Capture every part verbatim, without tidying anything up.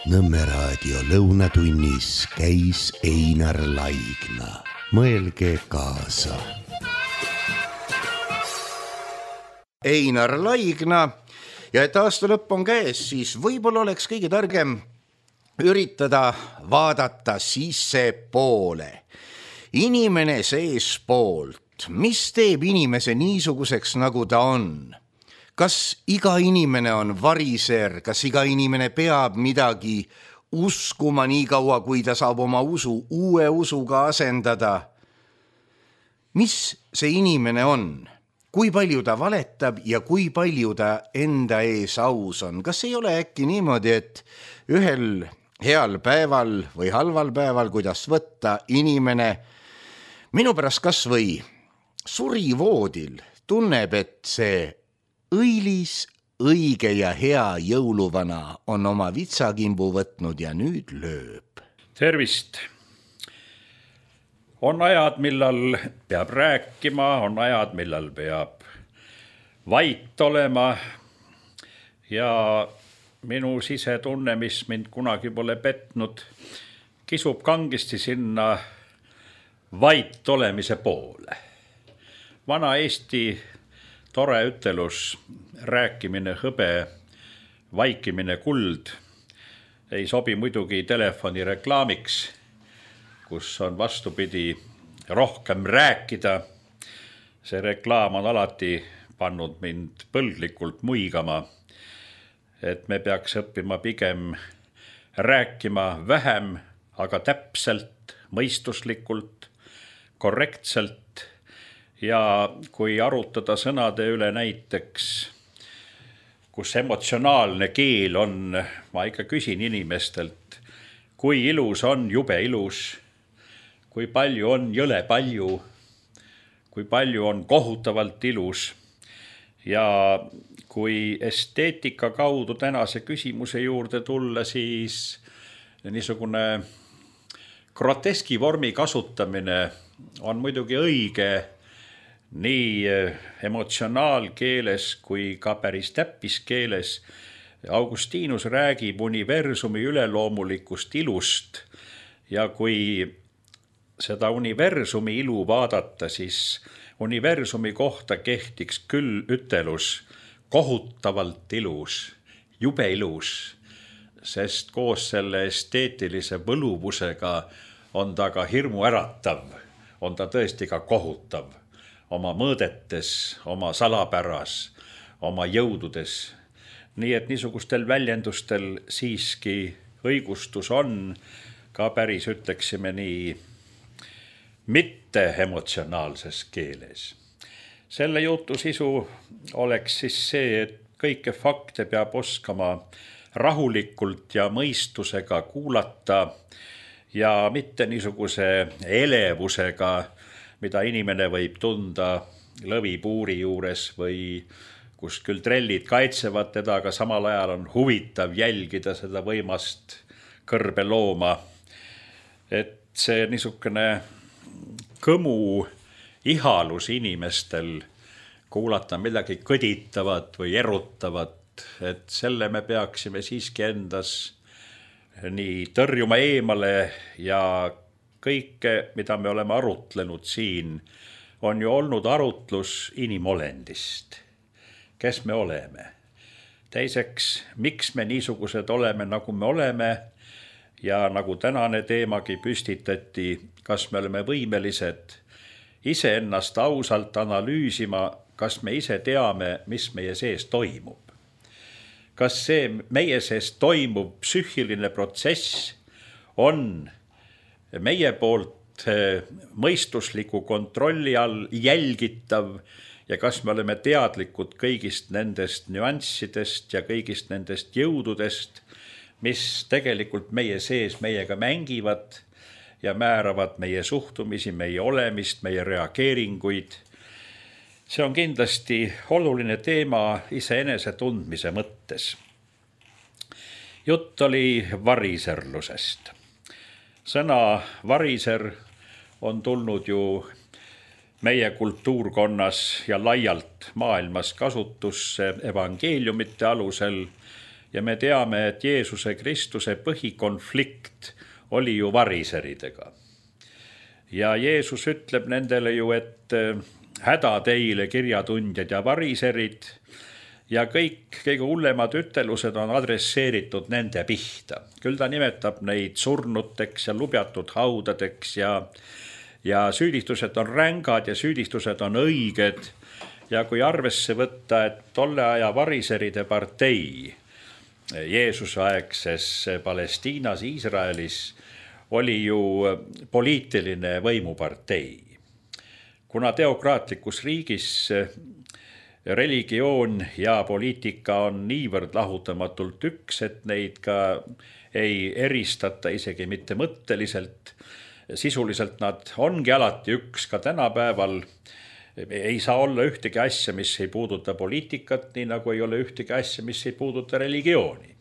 Nõmme raadio lõunatunnis käis Einar Laigna. Mõelge kaasa. Einar Laigna ja et aasta lõpp on käes, siis võib-olla oleks kõige targem üritada vaadata sisse poole. Inimene seespoolt, mis teeb inimese niisuguseks, nagu ta on? Kas iga inimene on variser, kas iga inimene peab midagi uskuma nii kaua, kui ta saab oma usu uue usuga asendada? Mis see inimene on? Kui palju ta valetab ja kui palju ta enda ees aus on? Kas ei ole äkki niimoodi, et ühel heal päeval või halval päeval, kuidas võtta, inimene minu pärast kas või surivoodil tunneb, et see õilis, õige ja hea jõuluvana on oma vitsakimbu võtnud ja nüüd lööb. Tervist! On ajad, millal peab rääkima, on ajad, millal peab vait olema ja minu sisetunne, mis mind kunagi pole petnud, kisub kangesti sinna vait olemise poole. Vana Eesti tore ütelus, rääkimine hõbe, vaikimine kuld, ei sobi muidugi telefoni reklaamiks, kus on vastupidi rohkem rääkida. See reklaam on alati pannud mind põlglikult muigama, et me peaks õppima pigem rääkima vähem, aga täpselt, mõistuslikult, korrektselt. Ja kui arutada sõnade üle näiteks, kus emotsionaalne keel on, ma ikka küsin inimestelt, kui ilus on jube ilus, kui palju on jõle palju, kui palju on kohutavalt ilus. Ja kui esteetika kaudu tänase küsimuse juurde tulla, siis niisugune groteski vormi kasutamine on muidugi õige, nii emotsionaalkeeles kui ka päris täppiskeeles. Augustinus räägib universumi üleloomulikust ilust ja kui seda universumi ilu vaadata, siis universumi kohta kehtiks küll ütelus kohutavalt ilus, jube ilus, sest koos selle esteetilise võluvusega on ta ka hirmu äratav, on ta tõesti ka kohutav. Oma mõõdetes, oma salapäras, oma jõududes. Nii et niisugustel väljendustel siiski õigustus on, ka päris ütleksime nii, mitte emotsionaalses keeles. Selle jutu sisu oleks siis see, et kõike fakte peab oskama rahulikult ja mõistusega kuulata ja mitte niisuguse elevusega, mida inimene võib tunda lõvipuuri juures või kus küll trellid kaitsevad teda, aga samal ajal on huvitav jälgida seda võimast kõrbelooma. Et see niisugune kõmu ihalus inimestel kuulata midagi kõditavat või erutavat, et selle me peaksime siiski endas nii tõrjuma eemale ja kõike, mida me oleme arutlenud siin, on ju olnud arutlus inimolendist. Kes me oleme? Teiseks, miks me niisugused oleme, nagu me oleme ja nagu tänane teemagi püstitati, kas me oleme võimelised ise ennast ausalt analüüsima, kas me ise teame, mis meie sees toimub. Kas see meie sees toimub psüühiline protsess on meie poolt mõistusliku kontrolli all jälgitav ja kas me oleme teadlikud kõigist nendest nüanssidest ja kõigist nendest jõududest, mis tegelikult meie sees meiega mängivad ja määravad meie suhtumisi, meie olemist, meie reageeringuid. See on kindlasti oluline teema iseenese tundmise mõttes. Jutt oli variserlusest. Sõna variser on tulnud ju meie kultuurkonnas ja laialt maailmas kasutusse evangeeliumite alusel ja me teame, et Jeesuse Kristuse põhikonflikt oli ju variseridega. Ja Jeesus ütleb nendele ju, et häda teile kirjatundjad ja variserid, ja kõik kõige hullemad ütelused on adresseeritud nende pihta. Küll ta nimetab neid surnuteks ja lubjatud haudadeks ja, ja süüdistused on rängad ja süüdistused on õiged. Ja kui arvesse võtta, et tolle aja variseride partei Jeesuse aegses Palestiinas, Iisraelis oli ju poliitiline võimupartei. Kuna teokraatlikus riigis religioon ja poliitika on niivõrd lahutamatult üks, et neid ka ei eristata isegi mitte mõtteliselt. Sisuliselt nad ongi alati üks, ka tänapäeval ei saa olla ühtegi asja, mis ei puuduta poliitikat, nii nagu ei ole ühtegi asja, mis ei puuduta religiooni.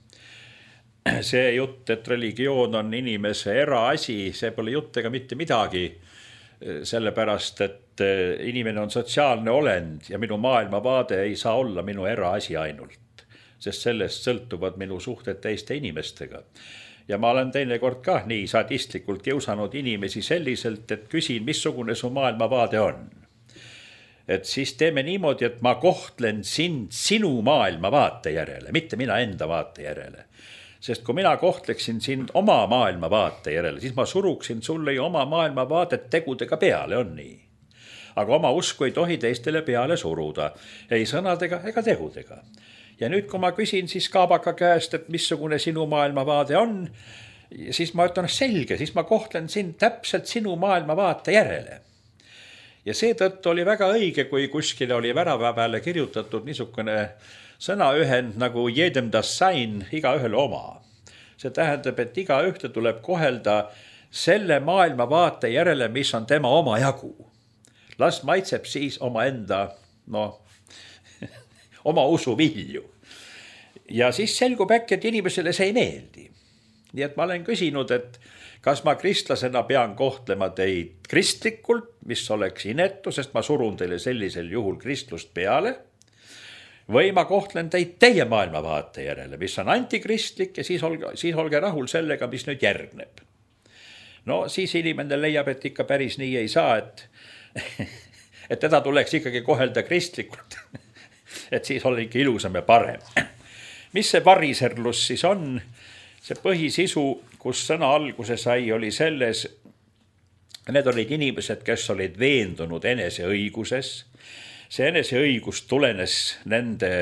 See jutt, et religioon on inimese eraasi, see pole jutt ega mitte midagi, sellepärast, et inimene on sotsiaalne olend ja minu maailmavaade ei saa olla minu eraasi ainult, sest sellest sõltuvad minu suhted teiste inimestega. Ja ma olen teinekord ka nii sadistlikult kiusanud inimesi selliselt, et küsin, missugune su maailmavaade on. Et siis teeme niimoodi, et ma kohtlen sind sinu maailmavaate järele, mitte mina enda vaate järele. Sest kui mina kohtleksin sind oma maailmavaate järele, siis ma suruksin sulle ju oma maailmavaadet tegudega peale, on nii. Aga oma usku ei tohi teistele peale suruda, ei sõnadega ega tegudega. Ja nüüd, kui ma küsin siis Kaabaka käest, et missugune sinu maailmavaade on, siis ma ütlen selge, siis ma kohtlen sind täpselt sinu maailmavaate järele. Ja seetõttu oli väga õige, kui kuskile oli värava peale kirjutatud niisugune sõnaühend nagu jedem das sein, iga ühele oma. See tähendab, et iga ühte tuleb kohelda selle maailmavaate järele, mis on tema oma jagu. Las maitseb siis oma enda, no, oma usu vilju. Ja siis selgub äkki, et inimesele see ei meeldi. Nii et ma olen küsinud, et kas ma kristlasena pean kohtlema teid kristlikult, mis oleks inetu, sest ma surun teile sellisel juhul kristlust peale, või ma kohtlen teid teie maailmavaate järele, mis on antikristlik ja siis olge, siis olge rahul sellega, mis nüüd järgneb. No siis inimene leiab, et ikka päris nii ei saa, et, et teda tuleks ikkagi kohelda kristlikult, et siis oli ikka ilusam ja parem. Mis see variserlus siis on? See põhisisu, kus sõna alguse sai, oli selles, need olid inimesed, kes olid veendunud enese õiguses. See enese õigus tulenes nende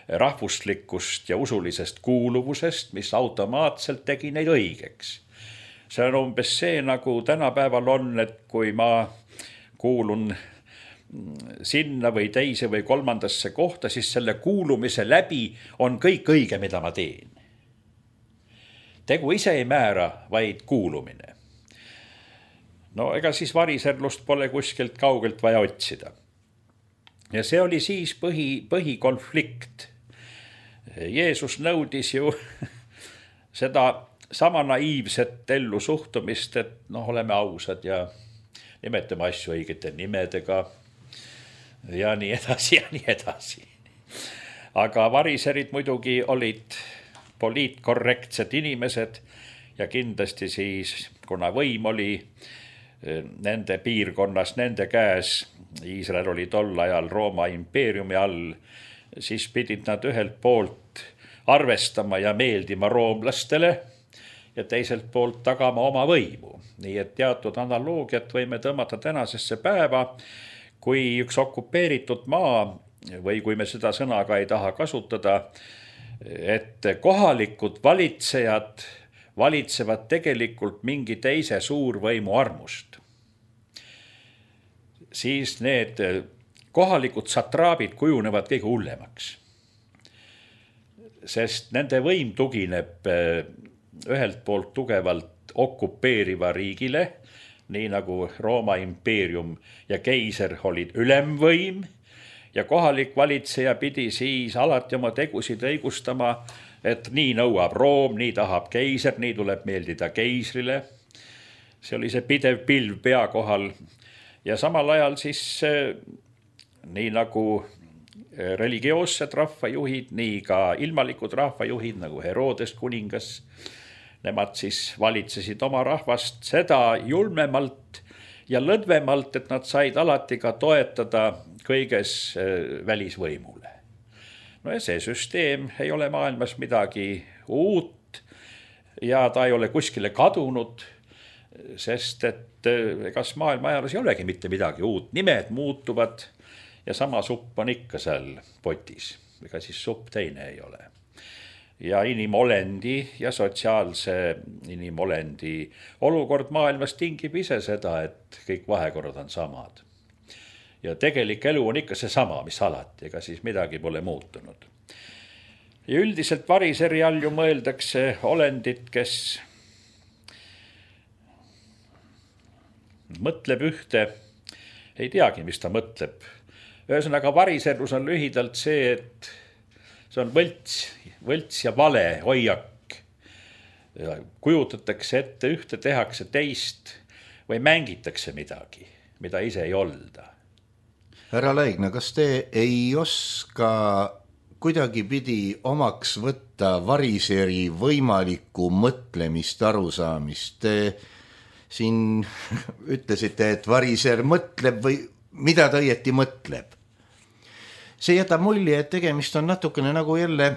rahvuslikust ja usulisest kuuluvusest, mis automaatselt tegi neid õigeks. See on umbes see, nagu tänapäeval on, et kui ma kuulun sinna või teise või kolmandasse kohta, siis selle kuulumise läbi on kõik õige, mida ma teen. Tegu ise ei määra, vaid kuulumine. No ega siis variserlust pole kuskilt kaugelt vaja otsida. Ja see oli siis põhi, põhikonflikt. Jeesus nõudis ju seda sama naiivset ellu suhtumist, et noh, oleme ausad ja nimetame asju õigete nimedega ja nii edasi ja nii edasi. Aga variserid muidugi olid poliitkorrektsed inimesed ja kindlasti siis, kuna võim oli nende piirkonnas, nende käes, Iisrael oli tol ajal Rooma impeeriumi all, siis pidid nad ühelt poolt arvestama ja meeldima roomlastele ja teiselt poolt tagama oma võimu. Nii et teatud analoogiat võime tõmmata tänasesse päeva, kui üks okupeeritud maa või kui me seda sõna ka ei taha kasutada, et kohalikud valitsejad valitsevad tegelikult mingi teise suurvõimu armust. Siis need kohalikud satraabid kujunevad kõige hullemaks. Sest nende võim tugineb ühelt poolt tugevalt okupeeriva riigile, nii nagu Rooma impeerium ja keiser olid ülemvõim, ja kohalik valitseja pidi siis alati oma tegusid õigustama, et nii nõuab Room, nii tahab keiser, nii tuleb meeldida keisrile. See oli see pidev pilv pea kohal. Ja samal ajal siis, nii nagu religioossed rahvajuhid, nii ka ilmalikud rahvajuhid nagu Herodes kuningas. Nemad siis valitsesid oma rahvast seda julmemalt ja lõdvemalt, et nad said alati ka toetada kõiges välisvõimule. No ja see süsteem ei ole maailmas midagi uut ja ta ei ole kuskile kadunud, sest et kas maailma ajaloos ei olegi mitte midagi uut. Nimed muutuvad ja sama supp on ikka seal potis, ega siis supp teine ei ole. Ja inimolendi ja sotsiaalse inimolendi olukord maailmas tingib ise seda, et kõik vahekorrad on samad. Ja tegelik elu on ikka see sama, mis alati, ega siis midagi pole muutunud. Ja üldiselt variseri all ju mõeldakse olendit, kes mõtleb ühte, ei teagi, mis ta mõtleb. Ühesõnaga variserlus on lühidalt see, et see on võlts, võlts ja vale hoiak. Kujutatakse ette ühte, tehakse teist või mängitakse midagi, mida ise ei olda. Härra Laigna, kas te ei oska kuidagi pidi omaks võtta variseri võimalikku mõtlemist, arusaamist? Te siin ütlesite, et variser mõtleb või mida ta õieti mõtleb. See jätab mulje, et tegemist on natukene nagu jälle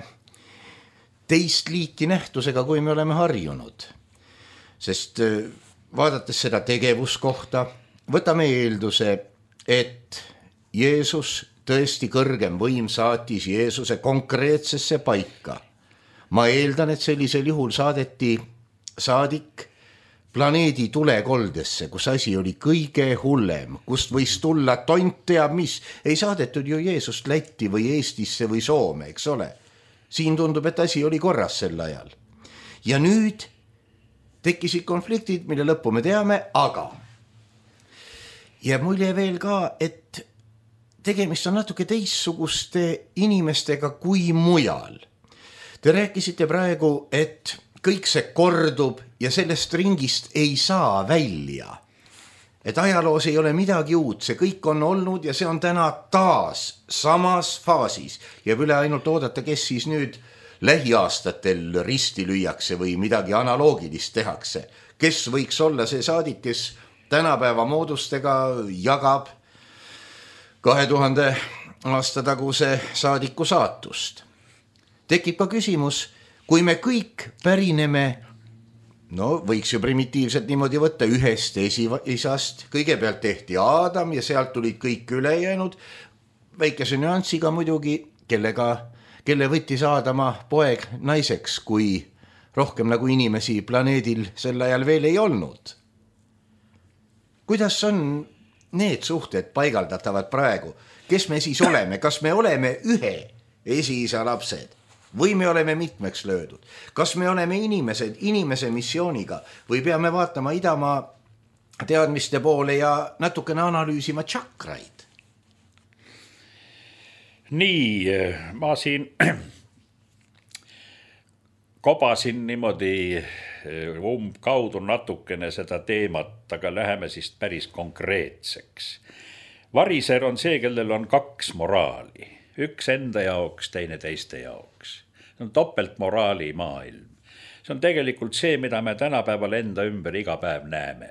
teist liiki nähtusega, kui me oleme harjunud. Sest vaadates seda tegevuskohta, võtame eelduse, et Jeesus, tõesti kõrgem võim, saatis Jeesuse konkreetsesse paika. Ma eeldan, et sellisel juhul saadeti saadik planeedi tulekoldesse, kus asi oli kõige hullem, kust võis tulla tont teab mis. Ei saadetud ju Jeesust Lätti või Eestisse või Soome, eks ole. Siin tundub, et asi oli korras sel ajal. Ja nüüd tekkisid konfliktid, mille lõppu me teame, aga ja mulje veel ka, et tegemist on natuke teistsuguste inimestega kui mujal. Te rääkisite praegu, et kõik see kordub ja sellest ringist ei saa välja. Et ajaloos ei ole midagi uut, see kõik on olnud ja see on täna taas samas faasis. Ja üle ainult oodata, kes siis nüüd lähiaastatel risti lüüakse või midagi analoogilist tehakse. Kes võiks olla see saadik, kes tänapäeva moodustega jagab kahe tuhande aasta taguse saadiku saatust. Tekib ka küsimus, kui me kõik pärineme, no võiks ju primitiivselt niimoodi võtta ühest esiisast, kõigepealt tehti Aadam ja sealt tulid kõik ülejäänud, väikese nüansiga muidugi, kellega, kelle võttis Aadama poeg naiseks, kui rohkem nagu inimesi planeedil sel ajal veel ei olnud. Kuidas on need suhted paigaldatavad praegu? Kes me siis oleme? Kas me oleme ühe esiisa lapsed? Või me oleme mitmeks löödud? Kas me oleme inimesed inimese missiooniga või peame vaatama idamaa teadmiste poole ja natukene analüüsima tšakraid? Nii, ma siin kobasin niimoodi umbkaudu natukene seda teemat, aga läheme siis päris konkreetseks. Variser on see, kellel on kaks moraali. Üks enda jaoks, teine teiste jaoks. See on topeltmoraali maailm. See on tegelikult see, mida me tänapäeval enda ümber iga päev näeme.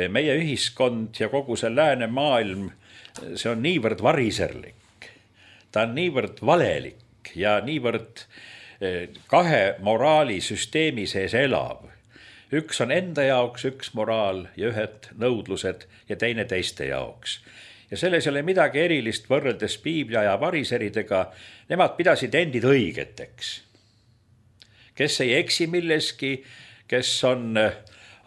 Meie ühiskond ja kogu see lääne maailm, see on niivõrd variserlik. Ta on niivõrd valelik ja niivõrd kahe moraali süsteemi sees elav. Üks on enda jaoks üks moraal ja ühed nõudlused ja teine teiste jaoks. Ja selles ei ole midagi erilist võrreldes Piiblia ja variseridega. Nemad pidasid endid õigeteks. Kes ei eksi milleski, kes on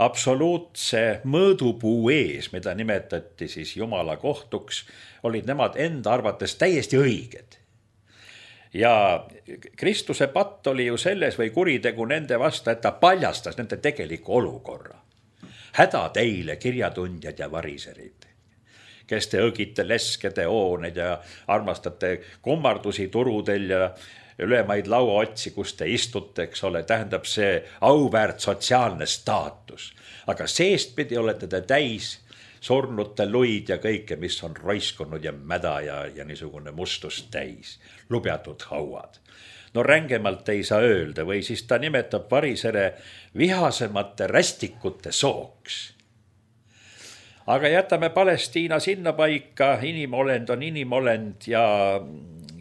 absoluutse mõõdupuu ees, mida nimetati siis Jumala kohtuks, olid nemad enda arvates täiesti õiged. Ja Kristuse patt oli ju selles või kuritegu nende vastu, et ta paljastas nende tegeliku olukorra. Häda teile, kirjatundjad ja variserid, kes te õgite leskede hooned ja armastate kummardusi turudel ja ülemaid lauaotsi, kus te istute, eks ole, tähendab see auväärt sotsiaalne staatus. Aga seestpidi olete te täis surnute luid ja kõike, mis on roiskunud ja mäda ja, ja niisugune mustust täis, lubjatud hauad. No rängemalt ei saa öelda või siis ta nimetab varisere vihasemate rästikute sooks. Aga jätame Palestiina sinna paika, inimolend on inimolend ja,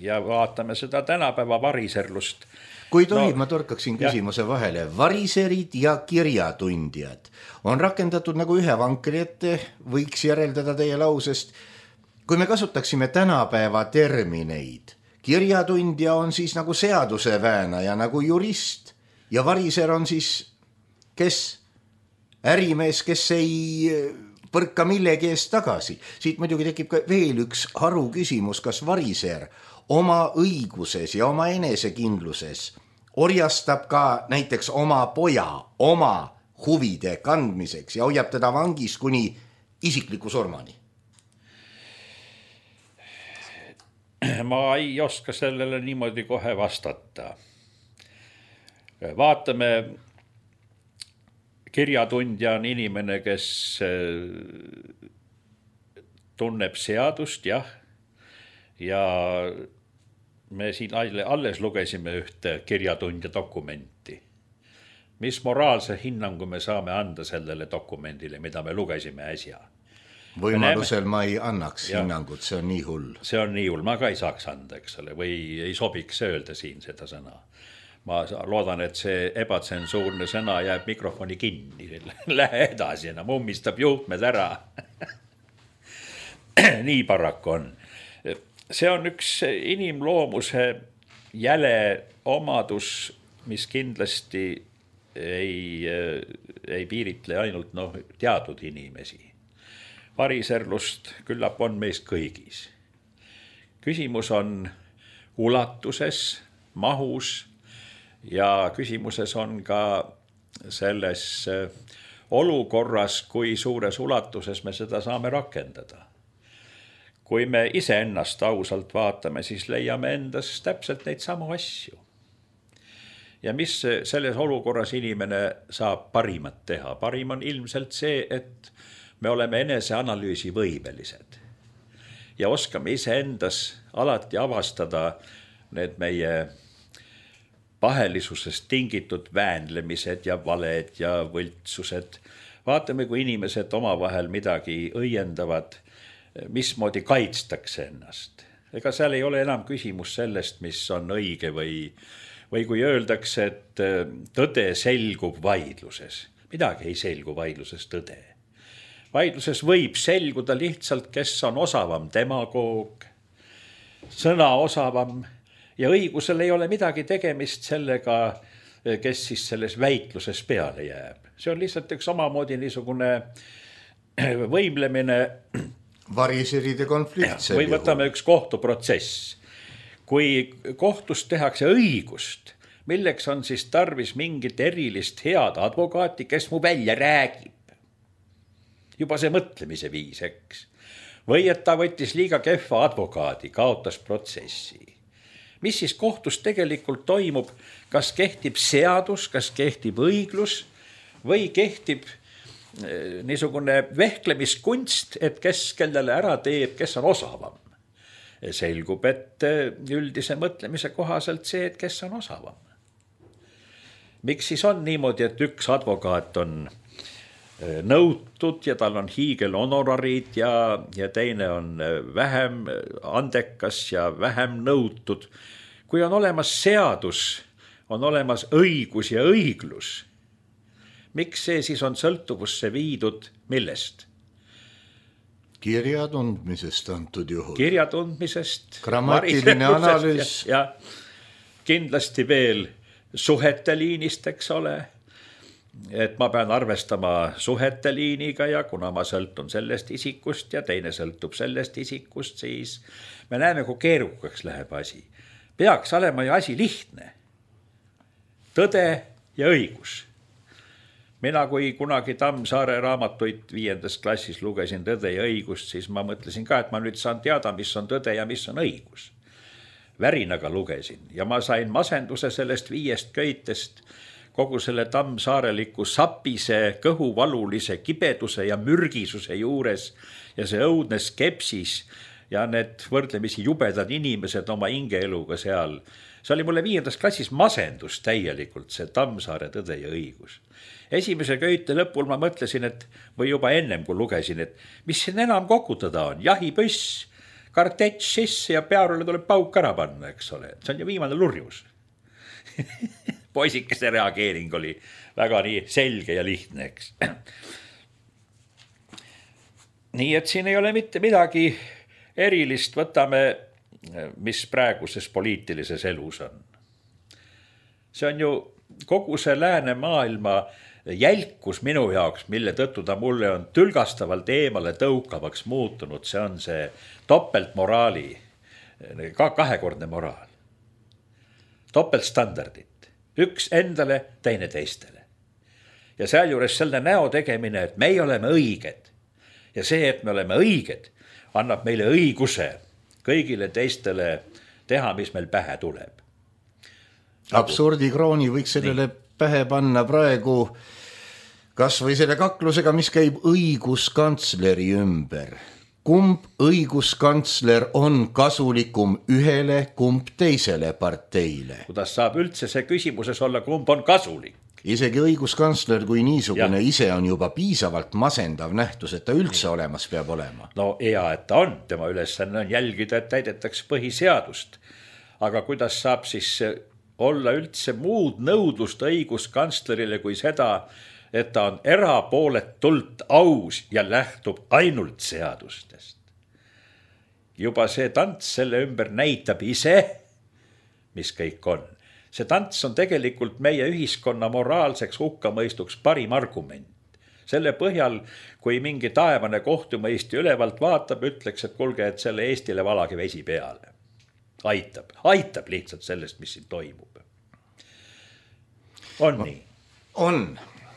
ja vaatame seda tänapäeva variserlust. Kui tohib, no, ma torkaksin küsimuse vahele. Variserid ja kirjatundjad on rakendatud nagu ühe vankri ette, võiks järeldada teie lausest. Kui me kasutaksime tänapäeva termineid, kirjatundja on siis nagu seaduseväänaja, nagu jurist ja variser on siis kes? Ärimees, kes ei põrka millegi eest tagasi. Siit muidugi tekib ka veel üks haru küsimus, kas variser oma õiguses ja oma enesekindluses orjastab ka näiteks oma poja oma huvide kandmiseks ja hoiab teda vangis kuni isikliku surmani. Ma ei oska sellele niimoodi kohe vastata. Vaatame, kirjatundja on inimene, kes tunneb seadust, jah, ja me siin alles lugesime ühte kirjatundja dokumenti. Mis moraalse hinnangu me saame anda sellele dokumendile, mida me lugesime äsja? Võimalusel ma ei annaks ja, hinnangut, see on nii hull. See on nii hull, ma ka ei saaks anda, eks ole, või ei sobiks öelda siin seda sõna. Ma loodan, et see ebatsensuurne sõna jääb mikrofoni kinni, lähe edasi, enam ummistab juhtmed ära. Nii paraku on. See on üks inimloomuse jäle omadus, mis kindlasti ei, ei piiritle ainult no, teatud inimesi. Variserlust küllap on meis kõigis. Küsimus on ulatuses, mahus ja küsimuses on ka selles olukorras, kui suures ulatuses me seda saame rakendada. Kui me ise ennast ausalt vaatame, siis leiame endas täpselt neid samu asju. Ja mis selles olukorras inimene saab parimat teha? Parim on ilmselt see, et me oleme eneseanalüüsi võimelised ja oskame ise endas alati avastada need meie pahelisusest tingitud väänlemised ja valed ja võltsused. Vaatame, kui inimesed omavahel midagi õiendavad, mismoodi kaitstakse ennast. Ega seal ei ole enam küsimus sellest, mis on õige või, või kui öeldakse, et tõde selgub vaidluses. Midagi ei selgu vaidluses tõde. Vaidluses võib selguda lihtsalt, kes on osavam demagoog, sõna osavam ja õigusel ei ole midagi tegemist sellega, kes siis selles väitluses peale jääb. See on lihtsalt üks omamoodi niisugune võimlemine. Variseride konflikt. Või võtame üks kohtuprotsess. Kui kohtus tehakse õigust, milleks on siis tarvis mingit erilist head advokaati, kes mu välja räägib. Juba see mõtlemise viis, eks. Või et ta võttis liiga kehva advokaadi, kaotas protsessi. Mis siis kohtus tegelikult toimub? Kas kehtib seadus, kas kehtib õiglus või kehtib niisugune vehklemiskunst, et kes kellele ära teeb, kes on osavam? Selgub, et üldise mõtlemise kohaselt see, et kes on osavam. Miks siis on niimoodi, et üks advokaat on nõutud ja tal on hiigel honorarid ja, ja teine on vähem andekas ja vähem nõutud. Kui on olemas seadus, on olemas õigus ja õiglus, miks see siis on sõltuvusse viidud millest? Kirjatundmisest antud juhul. Kirjatundmisest. Grammatiline analüüs. Ja, ja kindlasti veel suhete liinist, eks ole. Et ma pean arvestama suhete liiniga ja kuna ma sõltun sellest isikust ja teine sõltub sellest isikust, siis me näeme, kui keerukaks läheb asi. Peaks olema ju asi lihtne. Tõde ja õigus. Mina, kui kunagi Tammsaare raamatuid viiendas klassis lugesin tõde ja õigust, siis ma mõtlesin ka, et ma nüüd saan teada, mis on tõde ja mis on õigus. Värinaga lugesin ja ma sain masenduse sellest viiest köitest, kogu selle tammsaareliku sapise, kõhuvalulise kibeduse ja mürgisuse juures ja see õudne skepsis ja need võrdlemisi jubedad inimesed oma hingeeluga seal. See oli mulle viiendas klassis masendus täielikult, see Tammsaare Tõde ja õigus. Esimese köite lõpul ma mõtlesin, et või juba ennem kui lugesin, et mis siin enam kokutada on, jahipüss, kartetš sisse ja pearule tuleb pauk ära panna, eks ole. See on ju viimane lurjus. Poisikese reageering oli väga nii selge ja lihtne, eks. Nii et siin ei ole mitte midagi erilist, võtame, mis praeguses poliitilises elus on. See on ju kogu see läänemaailma jälkus minu jaoks, mille tõttu ta mulle on tülgastavalt eemale tõukavaks muutunud. See on see topeltmoraali, ka kahekordne moraal. Topeltstandardid. Üks endale, teine teistele. Ja sealjuures selle näo tegemine, et meie oleme õiged. Ja see, et me oleme õiged, annab meile õiguse kõigile teistele teha, mis meil pähe tuleb. Absurdikrooni võiks sellele Nii. pähe panna praegu kas või selle kaklusega, mis käib õiguskantsleri ümber. Kumb õiguskantsler on kasulikum ühele, kumb teisele parteile? Kuidas saab üldse see küsimuses olla, kumb on kasulik? Isegi õiguskantsler kui niisugune ja. Ise on juba piisavalt masendav nähtus, et ta üldse Nii. olemas peab olema. No hea, et ta on. Tema ülesanne on jälgida, et täidetaks põhiseadust. Aga kuidas saab siis olla üldse muud nõudlust õiguskantslerile kui seda, et ta on erapooletult aus ja lähtub ainult seadustest. Juba see tants selle ümber näitab ise, mis kõik on. See tants on tegelikult meie ühiskonna moraalseks hukkamõistuks parim argument. Selle põhjal, kui mingi taevane kohtumõisti ülevalt vaatab, ütleks, et kulge, et selle Eestile valagi vesi peale. Aitab, aitab lihtsalt sellest, mis siin toimub. On nii? On.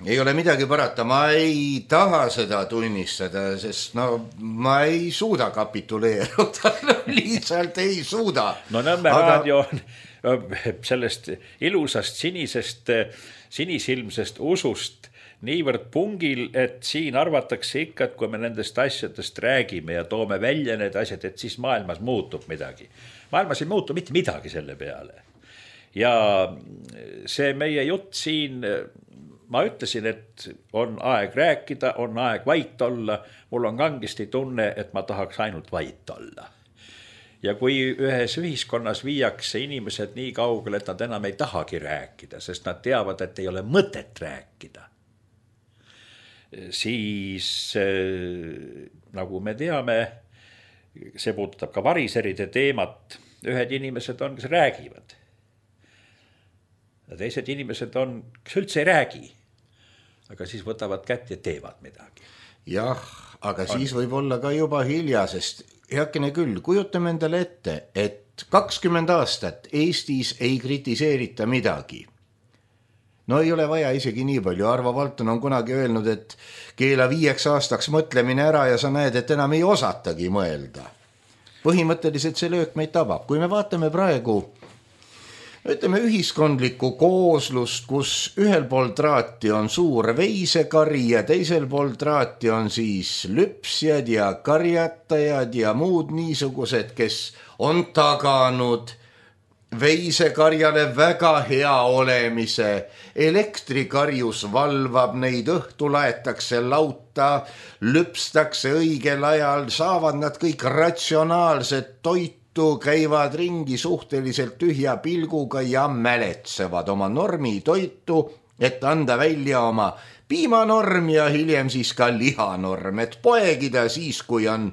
Ei ole midagi parata, ma ei taha seda tunnistada, sest no ma ei suuda kapituleeruda, lihtsalt ei suuda. No Nõmme Aga... raadio on sellest ilusast sinisest, sinisilmsest usust niivõrd pungil, et siin arvatakse ikka, et kui me nendest asjadest räägime ja toome välja need asjad, et siis maailmas muutub midagi. Maailmas ei muutu mitte midagi selle peale. Ja see meie jutt siin... Ma ütlesin, et on aeg rääkida, on aeg vait olla. Mul on kangesti tunne, et ma tahaks ainult vait olla. Ja kui ühes ühiskonnas viiakse inimesed nii kaugele, et nad enam ei tahagi rääkida, sest nad teavad, et ei ole mõtet rääkida, siis nagu me teame, see puudutab ka variseride teemat, ühed inimesed on, kes räägivad. Ja teised inimesed on, kes üldse ei räägi, aga siis võtavad kätt ja teevad midagi. Jah, aga on. Siis võib olla ka juba hilja, sest heakene küll, kujutame endale ette, et kakskümmend aastat Eestis ei kritiseerita midagi. No ei ole vaja isegi nii palju. Arvo Valton on kunagi öelnud, et keela viieks aastaks mõtlemine ära ja sa näed, et enam ei osatagi mõelda. Põhimõtteliselt see löök meid tabab. Kui me vaatame praegu ütleme ühiskondlikku kooslust, kus ühel pool traati on suur veisekari ja teisel pool traati on siis lüpsjad ja karjatajad ja muud niisugused, kes on taganud veisekarjale väga hea olemise. Elektrikarjus valvab neid, õhtu laetakse lauta, lüpstakse õigel ajal, saavad nad kõik ratsionaalset toitu, käivad ringi suhteliselt tühja pilguga ja mäletsevad oma normi toitu, et anda välja oma piimanorm ja hiljem siis ka lihanorm, et poegida siis, kui on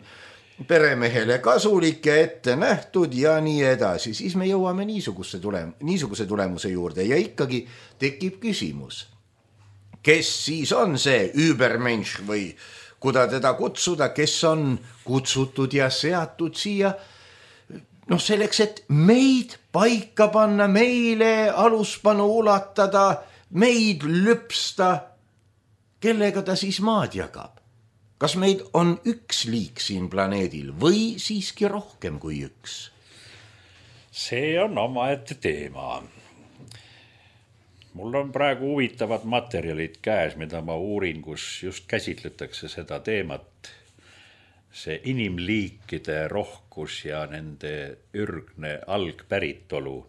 peremehele kasulik ja ette nähtud ja nii edasi. Siis me jõuame niisuguse, tulem- niisuguse tulemuse juurde ja ikkagi tekib küsimus, kes siis on see übermensch või kuda teda kutsuda, kes on kutsutud ja seatud siia noh selleks, et meid paika panna, meile aluspanu ulatada, meid lüpsta, kellega ta siis maad jagab. Kas meid on üks liik siin planeedil või siiski rohkem kui üks? See on omaette teema. mul on praegu huvitavad materjalid käes, mida ma uurin, kus just käsitletakse seda teemat, see inimliikide rohkus ja nende ürgne algpäritolu.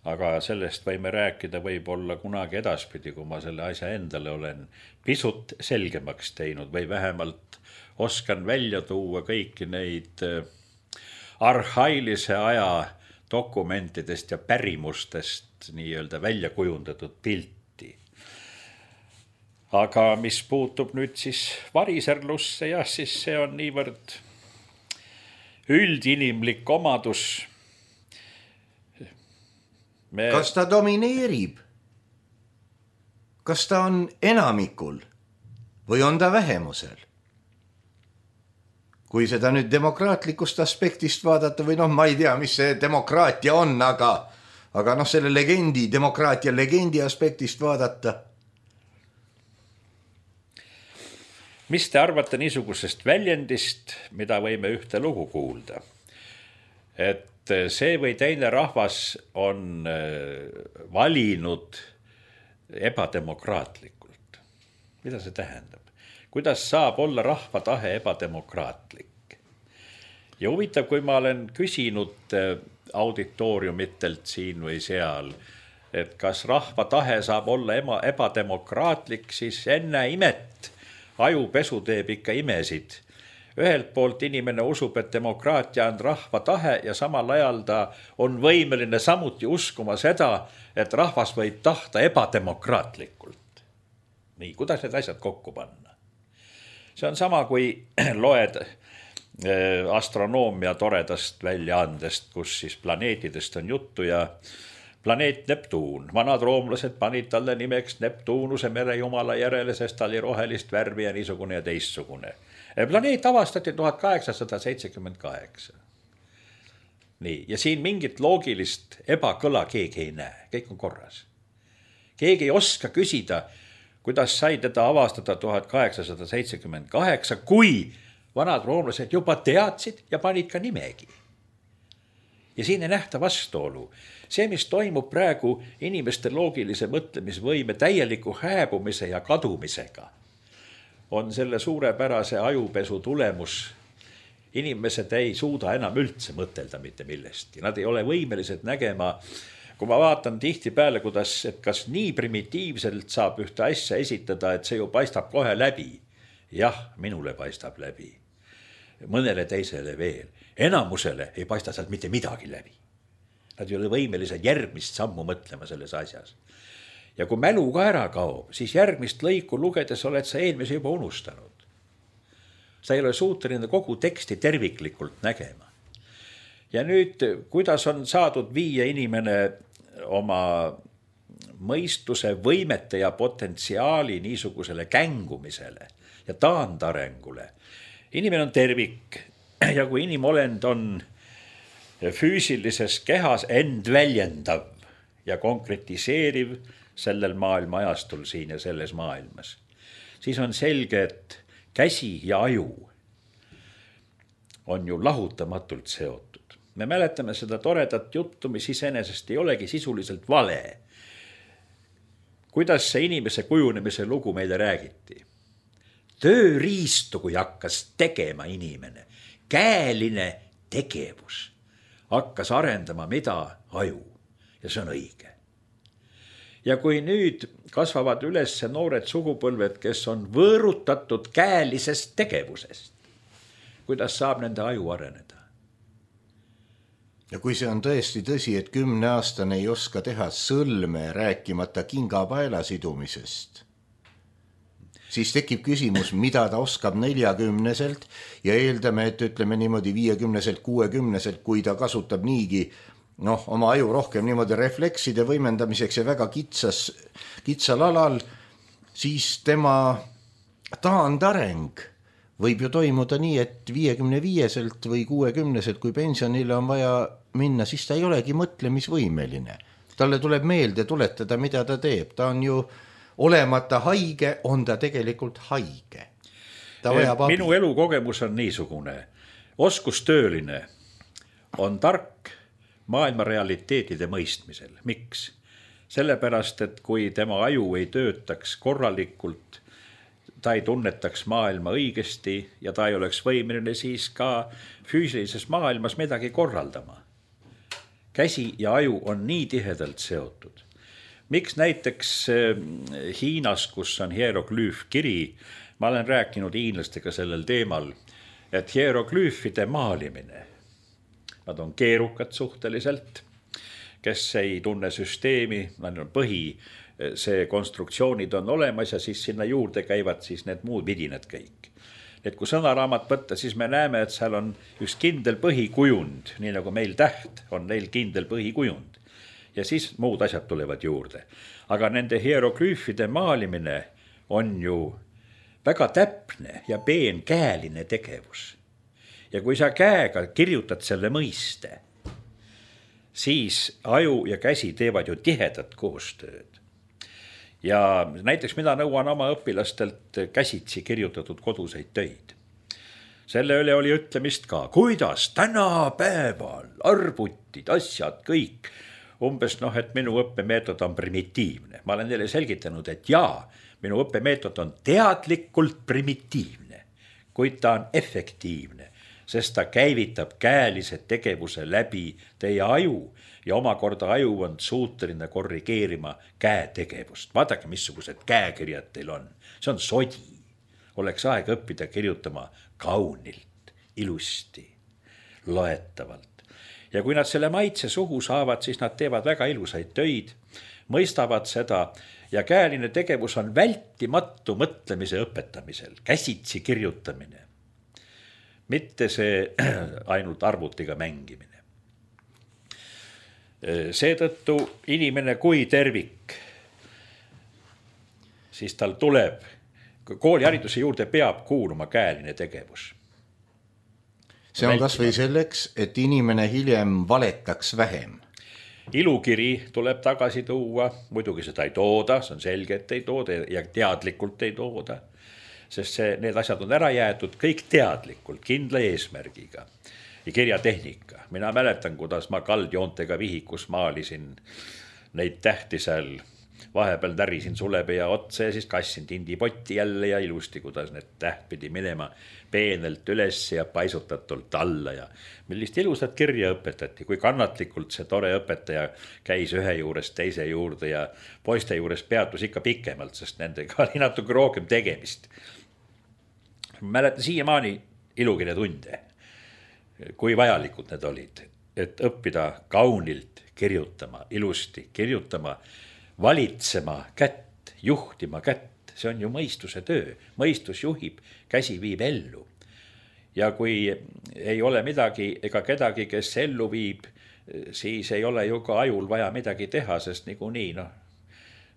Aga sellest võime rääkida võib-olla kunagi edaspidi, kui ma selle asja endale olen pisut selgemaks teinud või vähemalt oskan välja tuua kõiki neid arhailise aja dokumentidest ja pärimustest nii-öelda välja kujundatud pilti. Aga mis puutub nüüd siis variserlusse, jah, siis see on niivõrd üldinimlik omadus. Me... Kas ta domineerib? Kas ta on enamikul või on ta vähemusel? Kui seda nüüd demokraatlikust aspektist vaadata või noh, ma ei tea, mis see demokraatia on, aga, aga noh, selle legendi, demokraatia legendi aspektist vaadata. Mis te arvate niisugusest väljendist, mida võime ühte lugu kuulda? Et see või teine rahvas on valinud ebademokraatlikult. Mida see tähendab? Kuidas saab olla rahva tahe ebademokraatlik? Ja huvitav, kui ma olen küsinud auditooriumitelt siin või seal, et kas rahva tahe saab olla ebademokraatlik, siis enne imet ajupesu teeb ikka imesid. Ühelt poolt inimene usub, et demokraatia on rahva tahe ja samal ajal ta on võimeline samuti uskuma seda, et rahvas võib tahta ebademokraatlikult. Nii, kuidas need asjad kokku panna? See on sama, kui loed astronoomia toredast väljaandest, kus siis planeetidest on juttu ja planeet Neptuun. Vanad roomlased panid talle nimeks Neptuunuse merejumala järele, sest ta oli rohelist värvi ja niisugune ja teistsugune. Planeet avastati tuhat kaheksasada seitsekümmend kaheksa. Nii, ja siin mingit loogilist ebakõla keegi ei näe, kõik on korras. Keegi ei oska küsida, kuidas sai teda avastada tuhat kaheksasada seitsekümmend kaheksa, kui vanad roomlased juba teadsid ja panid ka nimegi. Ja siin ei nähta vastuolu. See, mis toimub praegu inimeste loogilise mõtlemisvõime täieliku hääbumise ja kadumisega, on selle suurepärase ajupesu tulemus. Inimesed ei suuda enam üldse mõtelda mitte millestki. Nad ei ole võimelised nägema. Kui ma vaatan tihti peale, kuidas, et kas nii primitiivselt saab ühte asja esitada, et see ju paistab kohe läbi. Jah, minule paistab läbi. Mõnele teisele veel. Enamusele ei paista sealt mitte midagi läbi. Nad ei ole võimelised järgmist sammu mõtlema selles asjas. Ja kui mälu ka ära kaob, siis järgmist lõiku lugedes oled sa eelmise juba unustanud. Sa ei ole suuteline kogu teksti terviklikult nägema. Ja nüüd, kuidas on saadud viia inimene oma mõistuse, võimete ja potentsiaali niisugusele kängumisele ja taandarengule. Inimene on tervik ja kui inimolend on füüsilises kehas end väljendav ja konkretiseeriv sellel maailma ajastul siin ja selles maailmas, siis on selge, et käsi ja aju on ju lahutamatult seotud. Me mäletame seda toredat juttu, mis iseenesest ei olegi sisuliselt vale. Kuidas see inimese kujunemise lugu meile räägiti? Tööriistu, kui hakkas tegema inimene, käeline tegevus, hakkas arendama mida? Aju. Ja see on õige. Ja kui nüüd kasvavad üles noored sugupõlved, kes on võõrutatud käelisest tegevusest, kuidas saab nende aju areneda? Ja kui see on tõesti tõsi, et kümneaastane ei oska teha sõlme rääkimata kingapaela sidumisest, siis tekib küsimus, mida ta oskab neljakümneselt ja eeldame, et ütleme niimoodi viiekümneselt, kuuekümneselt, kui ta kasutab niigi noh, oma aju rohkem niimoodi reflekside võimendamiseks ja väga kitsas, kitsal alal, siis tema taandareng võib ju toimuda nii, et viiekümne viieselt või kuuekümneselt, kui pensionile on vaja minna, siis ta ei olegi mõtlemisvõimeline. Talle tuleb meelde tuletada, mida ta teeb. Ta on ju olemata haige, on ta tegelikult haige. Ta vajab abi. Minu elukogemus on niisugune. Oskustööline on tark maailma realiteetide mõistmisel. Miks? sellepärast, et kui tema aju ei töötaks korralikult, ta ei tunnetaks maailma õigesti ja ta ei oleks võimeline siis ka füüsilises maailmas midagi korraldama. Käsi ja aju on nii tihedalt seotud. Miks näiteks Hiinas, kus on hieroglüüfkiri, ma olen rääkinud hiinlastega sellel teemal, et hieroglüüfide maalimine, nad on keerukad suhteliselt, kes ei tunne süsteemi, nad on põhi, see konstruktsioonid on olemas ja siis sinna juurde käivad siis need muud vidinad kõik. Et kui sõnaraamat võtta, siis me näeme, et seal on üks kindel põhikujund, nii nagu meil täht on neil kindel põhikujund. Ja siis muud asjad tulevad juurde. Aga nende hieroglüüfide maalimine on ju väga täpne ja peenkäeline tegevus. Ja kui sa käega kirjutad selle mõiste, siis aju ja käsi teevad ju tihedat koostööd. Ja näiteks mina nõuan oma õpilastelt käsitsi kirjutatud koduseid töid. Selle üle oli ütlemist ka, kuidas tänapäeval arvutid, asjad, kõik. Umbes noh, et minu õppemeetod on primitiivne. Ma olen neile selgitanud, et jaa, minu õppemeetod on teadlikult primitiivne, kuid ta on efektiivne, sest ta käivitab käelise tegevuse läbi teie aju ja omakorda aju on suuteline korrigeerima käetegevust. Vaadake, missugused käekirjad teil on. See on sodi. Oleks aeg õppida kirjutama kaunilt, ilusti, loetavalt. Ja kui nad selle maitse suhu saavad, siis nad teevad väga ilusaid töid, mõistavad seda ja käeline tegevus on vältimatu mõtlemise õpetamisel, käsitsi kirjutamine. Mitte see ainult arvutiga mängimine. Seetõttu inimene kui tervik, siis tal tuleb, koolihariduse juurde peab kuuluma käeline tegevus. See on kas või selleks, et inimene hiljem valetaks vähem. Ilukiri tuleb tagasi tuua, muidugi seda ei tooda, see on selge, et ei tooda ja teadlikult ei tooda, sest see, need asjad on ära jäetud kõik teadlikult, kindla eesmärgiga. Ja kirjatehnika. Mina mäletan, kuidas ma kaldjoontega vihikus maalisin neid tähti seal. Vahepeal tärisin sulepea otsa ja siis kassin tindipotti jälle ja ilusti, kuidas need täht pidi minema peenelt üles ja paisutatult alla. Ja millist ilusat kirja õpetati, kui kannatlikult see tore õpetaja käis ühe juurest teise juurde ja poiste juures peatus ikka pikemalt, sest nendega oli natuke rohkem tegemist. Mäletan siiamaani ilukirja tunde. Kui vajalikud need olid, et õppida kaunilt kirjutama, ilusti kirjutama, valitsema kätt, juhtima kätt. See on ju mõistuse töö. Mõistus juhib, käsi viib ellu. Ja kui ei ole midagi ega kedagi, kes ellu viib, siis ei ole ju ka ajul vaja midagi teha, sest nagu nii, noh,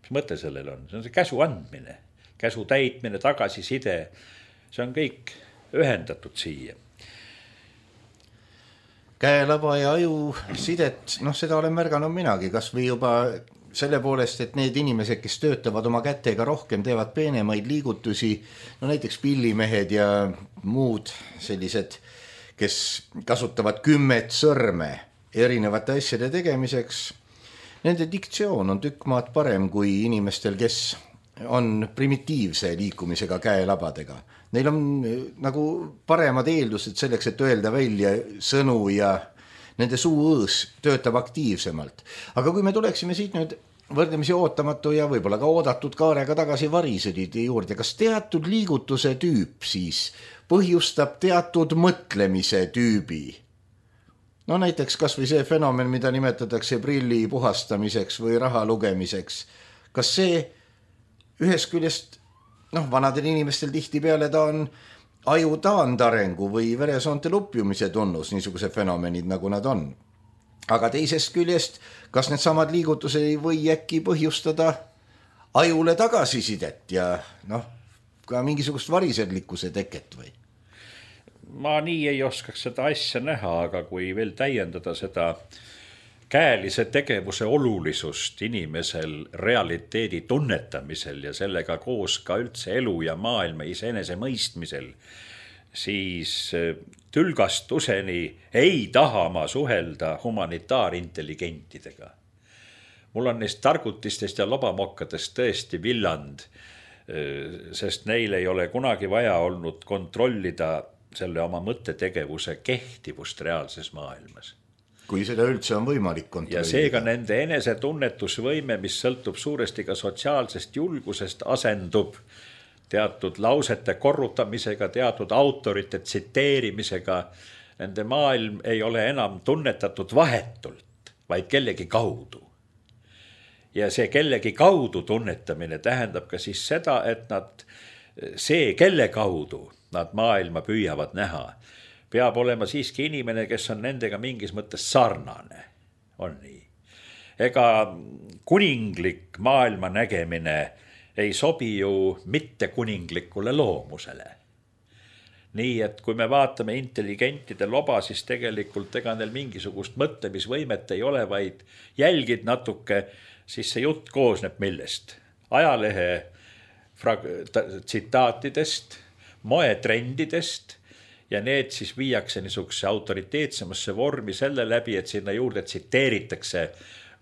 mis mõte sellel on? See on see käsu andmine, käsu täitmine, tagasiside. See on kõik ühendatud siia. Käelaba ja aju sidet, noh seda olen märganud minagi, kas või juba selle poolest, et need inimesed, kes töötavad oma kätega rohkem, teevad peenemaid liigutusi, no näiteks pillimehed ja muud sellised, kes kasutavad kümmet sõrme erinevate asjade tegemiseks. Nende diktsioon on tükk maad parem kui inimestel, kes on primitiivse liikumisega käelabadega. Neil on nagu paremad eeldused selleks, et öelda välja sõnu ja nende suuõõs töötab aktiivsemalt. Aga kui me tuleksime siit nüüd võrdlemisi ootamatu ja võib-olla ka oodatud kaarega tagasi varisõdide juurde, kas teatud liigutuse tüüp siis põhjustab teatud mõtlemise tüübi? No näiteks kas või see fenomen, mida nimetatakse prilli puhastamiseks või raha lugemiseks. Kas see ühest küljest, noh, vanadel inimestel tihti peale ta on aju taandarengu või veresoonte lupjumise tunnus, niisuguse fenomenid nagu nad on. Aga teisest küljest, kas need samad liigutused ei või äkki põhjustada ajule tagasisidet ja noh, ka mingisugust variserlikkuse teket või? Ma nii ei oskaks seda asja näha, aga kui veel täiendada seda käelise tegevuse olulisust inimesel realiteedi tunnetamisel ja sellega koos ka üldse elu ja maailma iseenese mõistmisel, siis tülgastuseni ei taha ma suhelda humanitaarintelligentidega. mul on neist targutistest ja lobamokkadest tõesti villand, sest neil ei ole kunagi vaja olnud kontrollida selle oma mõttetegevuse kehtivust reaalses maailmas. Kui seda üldse on võimalik kontrollida. Ja seega nende enesetunnetusvõime, mis sõltub suuresti ka sotsiaalsest julgusest, asendub teatud lausete korrutamisega, teatud autorite tsiteerimisega. Nende maailm ei ole enam tunnetatud vahetult, vaid kellegi kaudu. Ja see kellegi kaudu tunnetamine tähendab ka siis seda, et nad, see kelle kaudu nad maailma püüavad näha, peab olema siiski inimene, kes on nendega mingis mõttes sarnane. On nii. Ega kuninglik maailma nägemine ei sobi ju mitte kuninglikule loomusele. Nii, et kui me vaatame intelligentide loba, siis tegelikult ega neil mingisugust mõtlemisvõimet ei ole, vaid jälgid natuke, siis see jutt koosneb millest? Ajalehe tsitaatidest, moetrendidest, ja need siis viiakse niisuguse autoriteetsemasse vormi selle läbi, et sinna juurde tsiteeritakse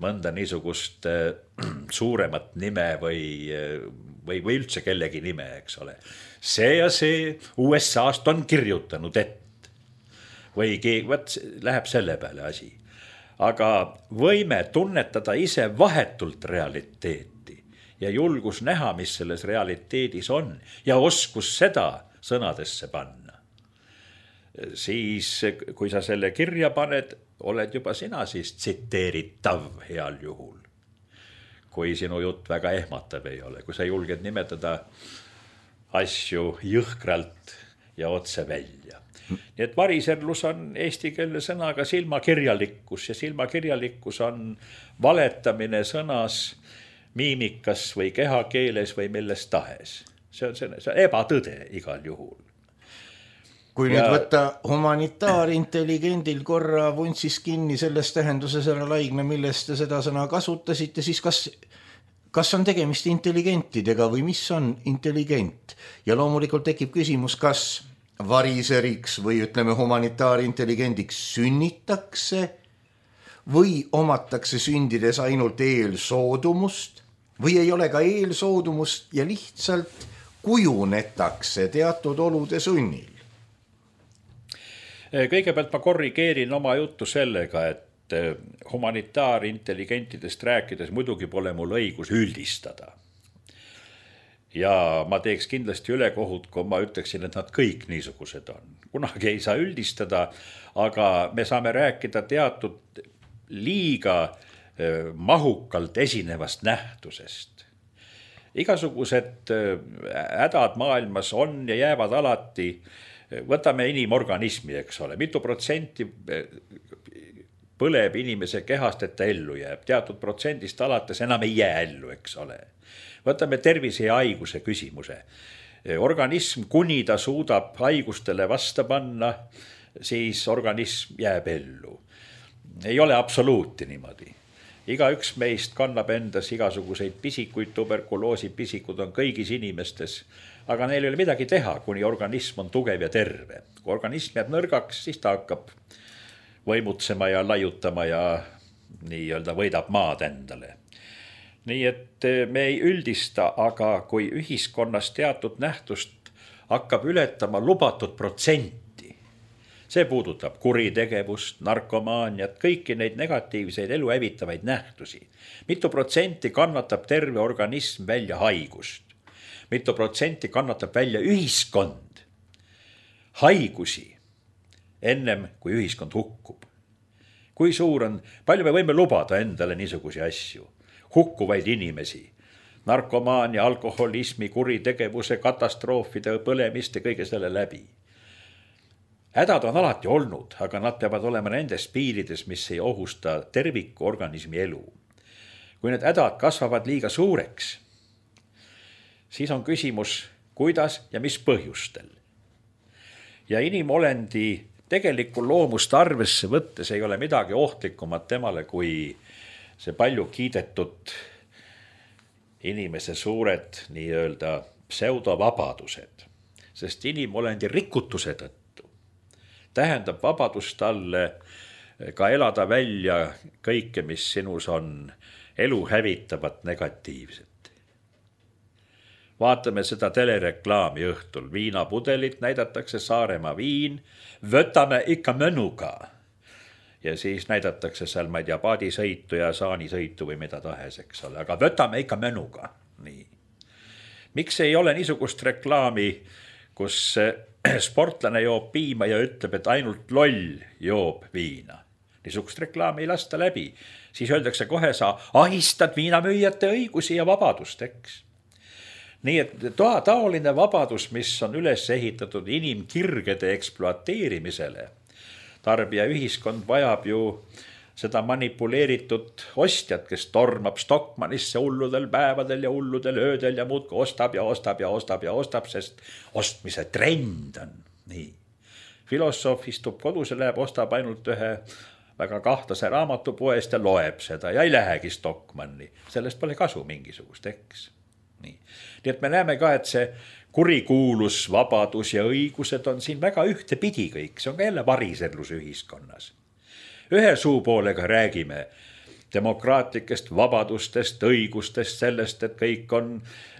mõnda niisugust suuremat nime või, või, või üldse kellegi nime, eks ole. See ja see U S A-st on kirjutanud et. Või võt, läheb selle peale asi. Aga võime tunnetada ise vahetult realiteeti ja julgus näha, mis selles realiteedis on ja oskus seda sõnadesse panna. Siis kui sa selle kirja paned, oled juba sina siis tsiteeritav heal juhul. Kui sinu jutt väga ehmatav ei ole, kui sa julged nimetada asju jõhkralt ja otse välja. Nii et variserlus on eesti keele sõnaga silmakirjalikkus ja silmakirjalikkus on valetamine sõnas, miimikas või kehakeeles või milles tahes. See on, see on ebatõde igal juhul. Kui ja... nüüd võtta humanitaarintelligendil korra vuntsis kinni selles tähenduses ära Laigna, millest te seda sõna kasutasite, siis kas, kas on tegemist intelligentidega või mis on intelligent? Ja loomulikult tekib küsimus, kas variseriks või ütleme humanitaarintelligendiks sünnitakse või omatakse sündides ainult eelsoodumust või ei ole ka eelsoodumust ja lihtsalt kujunetakse teatud olude sunnil. Kõigepealt ma korrigeerin oma juttu sellega, et humanitaarintelligentidest rääkides muidugi pole mul õigus üldistada. Ja ma teeks kindlasti ülekohut, kui ma ütleksin, et nad kõik niisugused on. Kunagi ei saa üldistada, aga me saame rääkida teatud liiga mahukalt esinevast nähtusest. Igasugused hädad maailmas on ja jäävad alati. Võtame inimorganismi, eks ole, mitu protsenti põleb inimese kehast, et ta ellu jääb. Teatud protsendist alates enam ei jää ellu, eks ole. Võtame tervise ja haiguse küsimuse. Organism, kuni ta suudab haigustele vasta panna, siis organism jääb ellu. Ei ole absoluuti niimoodi. Iga üks meist kannab endas igasuguseid pisikuid, tuberkuloosi pisikud on kõigis inimestes, aga neil ei ole midagi teha, kuni organism on tugev ja terve. Kui organism jääb nõrgaks, siis ta hakkab võimutsema ja laiutama ja nii-öelda võidab maad endale. Nii et me ei üldista, aga kui ühiskonnas teatud nähtust hakkab ületama lubatud protsenti, see puudutab kuritegevust, narkomaaniat, kõiki neid negatiivseid elu hävitavaid nähtusi. Mitu protsenti kannatab terve organism välja haigust. Mitu protsenti kannatab välja ühiskond, haigusi, ennem kui ühiskond hukkub. Kui suur on, palju me võime lubada endale niisugusi asju, hukkuvaid inimesi, narkomaania, alkoholismi, kuritegevuse, katastroofide, põlemiste, kõige selle läbi. Hädad on alati olnud, aga nad peavad olema nendes piirides, mis ei ohusta terviku organismi elu. Kui need hädad kasvavad liiga suureks, siis on küsimus, kuidas ja mis põhjustel. Ja inimolendi tegelikku loomust arvesse võttes ei ole midagi ohtlikumat temale, kui see palju kiidetud inimese suured nii-öelda pseudovabadused. Sest inimolendi rikutuse tõttu tähendab vabadust talle ka elada välja kõike, mis sinus on elu hävitavat negatiivset. Vaatame seda telereklaami õhtul. Viinapudelit näidatakse Saaremaa viin. Võtame ikka mõnuga. Ja siis näidatakse seal, ma ei tea, paadisõitu ja saanisõitu või mida tahes, eks ole. Aga võtame ikka mõnuga. Nii. Miks ei ole niisugust reklaami, kus sportlane joob piima ja ütleb, et ainult loll joob viina? Niisugust reklaami ei lasta läbi. Siis öeldakse kohe, sa ahistad viinamüüjate õigusi ja vabadust, eks. Nii et toa taoline vabadus, mis on üles ehitatud inimkirgede ekspluateerimisele. Tarbija ühiskond vajab ju seda manipuleeritud ostjat, kes tormab Stockmannisse hulludel päevadel ja hulludel öödel ja muudki ostab ja ostab ja ostab ja ostab, sest ostmise trend on. Nii. Filosoof istub kodus ja läheb, ostab ainult ühe väga kahtlase raamatupoest ja loeb seda ja ei lähegi Stockmanni. Sellest pole kasu mingisugust, eks. Nii. Nii et me näeme ka, et see kurikuulus, vabadus ja õigused on siin väga ühtepidi kõik. See on ka jälle variserlus ühiskonnas. Ühe suupoolega räägime demokraatlikest vabadustest, õigustest, sellest, et kõik on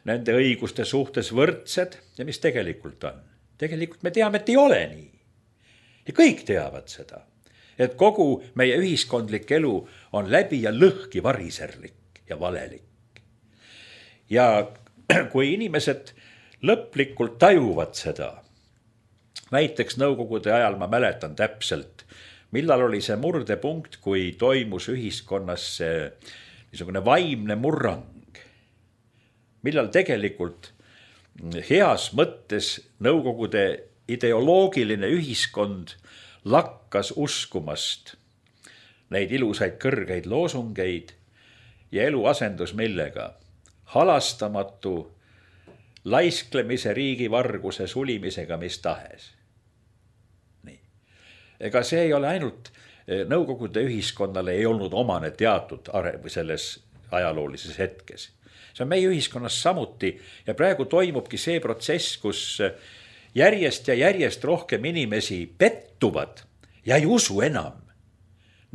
nende õiguste suhtes võrdsed ja mis tegelikult on. Tegelikult me teame, et ei ole nii. Ja kõik teavad seda, et kogu meie ühiskondlik elu on läbi ja lõhki variserlik ja valelik. Ja kui inimesed lõplikult tajuvad seda, näiteks nõukogude ajal ma mäletan täpselt, millal oli see murdepunkt, kui toimus ühiskonnas see niisugune vaimne murrang, millal tegelikult heas mõttes nõukogude ideoloogiline ühiskond lakkas uskumast neid ilusaid kõrgeid loosungeid ja elu asendus millega? Halastamatu laisklemise, riigivarguse, sulimisega mis tahes. Nii. Ega see ei ole ainult nõukogude ühiskonnale ei olnud omane teatud areng selles ajaloolises hetkes. See on meie ühiskonnas samuti ja praegu toimubki see protsess, kus järjest ja järjest rohkem inimesi pettuvad ja ei usu enam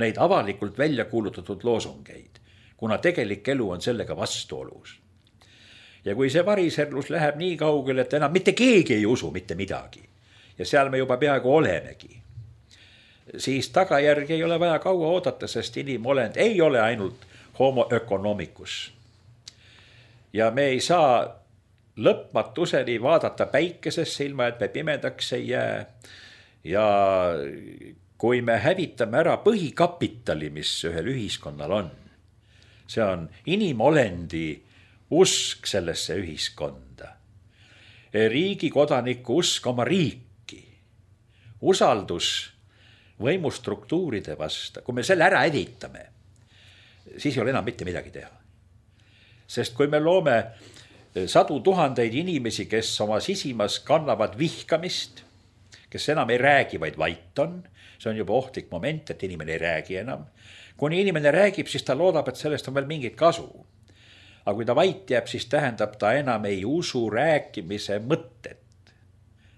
neid avalikult välja kuulutatud loosungeid, kuna tegelik elu on sellega vastuolus. Ja kui see variserlus läheb nii kaugele, et enam mitte keegi ei usu mitte midagi ja seal me juba peaaegu olemegi, siis tagajärgi ei ole vaja kaua oodata, sest inimolend ei ole ainult homo economicus. Ja me ei saa lõpmatuseni vaadata päikesesse ilma, et me pimedaks ei jää. Ja kui me hävitame ära põhikapitali, mis ühel ühiskonnal on, see on inimolendi usk sellesse ühiskonda, riigi kodaniku usk oma riiki, usaldus võimustruktuuride vasta. Kui me selle ära editame, siis ei ole enam mitte midagi teha. Sest kui me loome sadu tuhandeid inimesi, kes oma sisimas kannavad vihkamist, kes enam ei räägi, vaid vait on, see on juba ohtlik moment, et inimene ei räägi enam. Kuni inimene räägib, siis ta loodab, et sellest on veel mingit kasu. Aga kui ta vait jääb, siis tähendab ta enam ei usu rääkimise mõtet.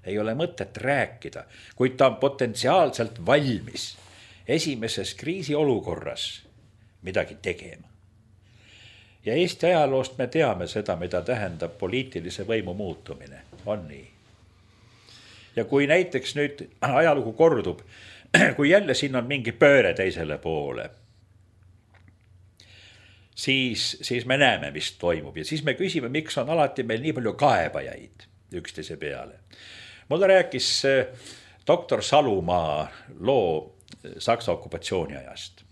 Ei ole mõtet rääkida, kuid ta on potentsiaalselt valmis esimeses kriisiolukorras midagi tegema. Ja Eesti ajaloost me teame seda, mida tähendab poliitilise võimu muutumine. On nii. Ja kui näiteks nüüd ajalugu kordub, kui jälle siin on mingi pööre teisele poole, Siis, siis me näeme, mis toimub ja siis me küsime, miks on alati meil nii palju kaebajaid üksteise peale. Mulle rääkis doktor Salumaa loo Saksa okupatsiooni ajast.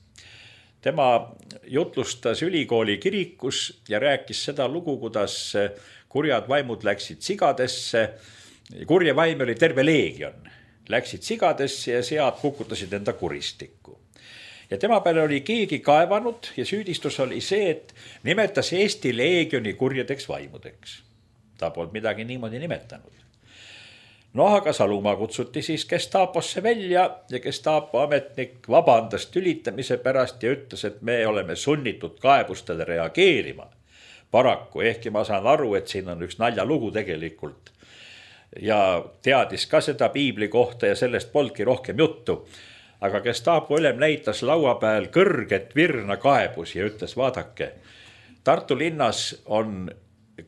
Tema jutlustas ülikooli kirikus ja rääkis seda lugu, kuidas kurjad vaimud läksid sigadesse. Kurje vaim oli terve leegion. Läksid sigadesse ja sead kukutasid enda kuristikku. Ja tema peale oli keegi kaevanud ja süüdistus oli see, et nimetas Eesti leegioni kurjedeks vaimudeks. Ta polnud midagi niimoodi nimetanud. No aga Salumaa kutsuti siis Gestaposse välja ja Gestapo ametnik vabandas tülitamise pärast ja ütles, et me oleme sunnitud kaebustele reageerima. Paraku, ehkki ma saan aru, et siin on üks naljalugu tegelikult ja teadis ka seda piibli kohta ja sellest polnudki rohkem juttu. aga Gestapo ülem näitas laua peal kõrget virna kaebusi ja ütles, vaadake, Tartu linnas on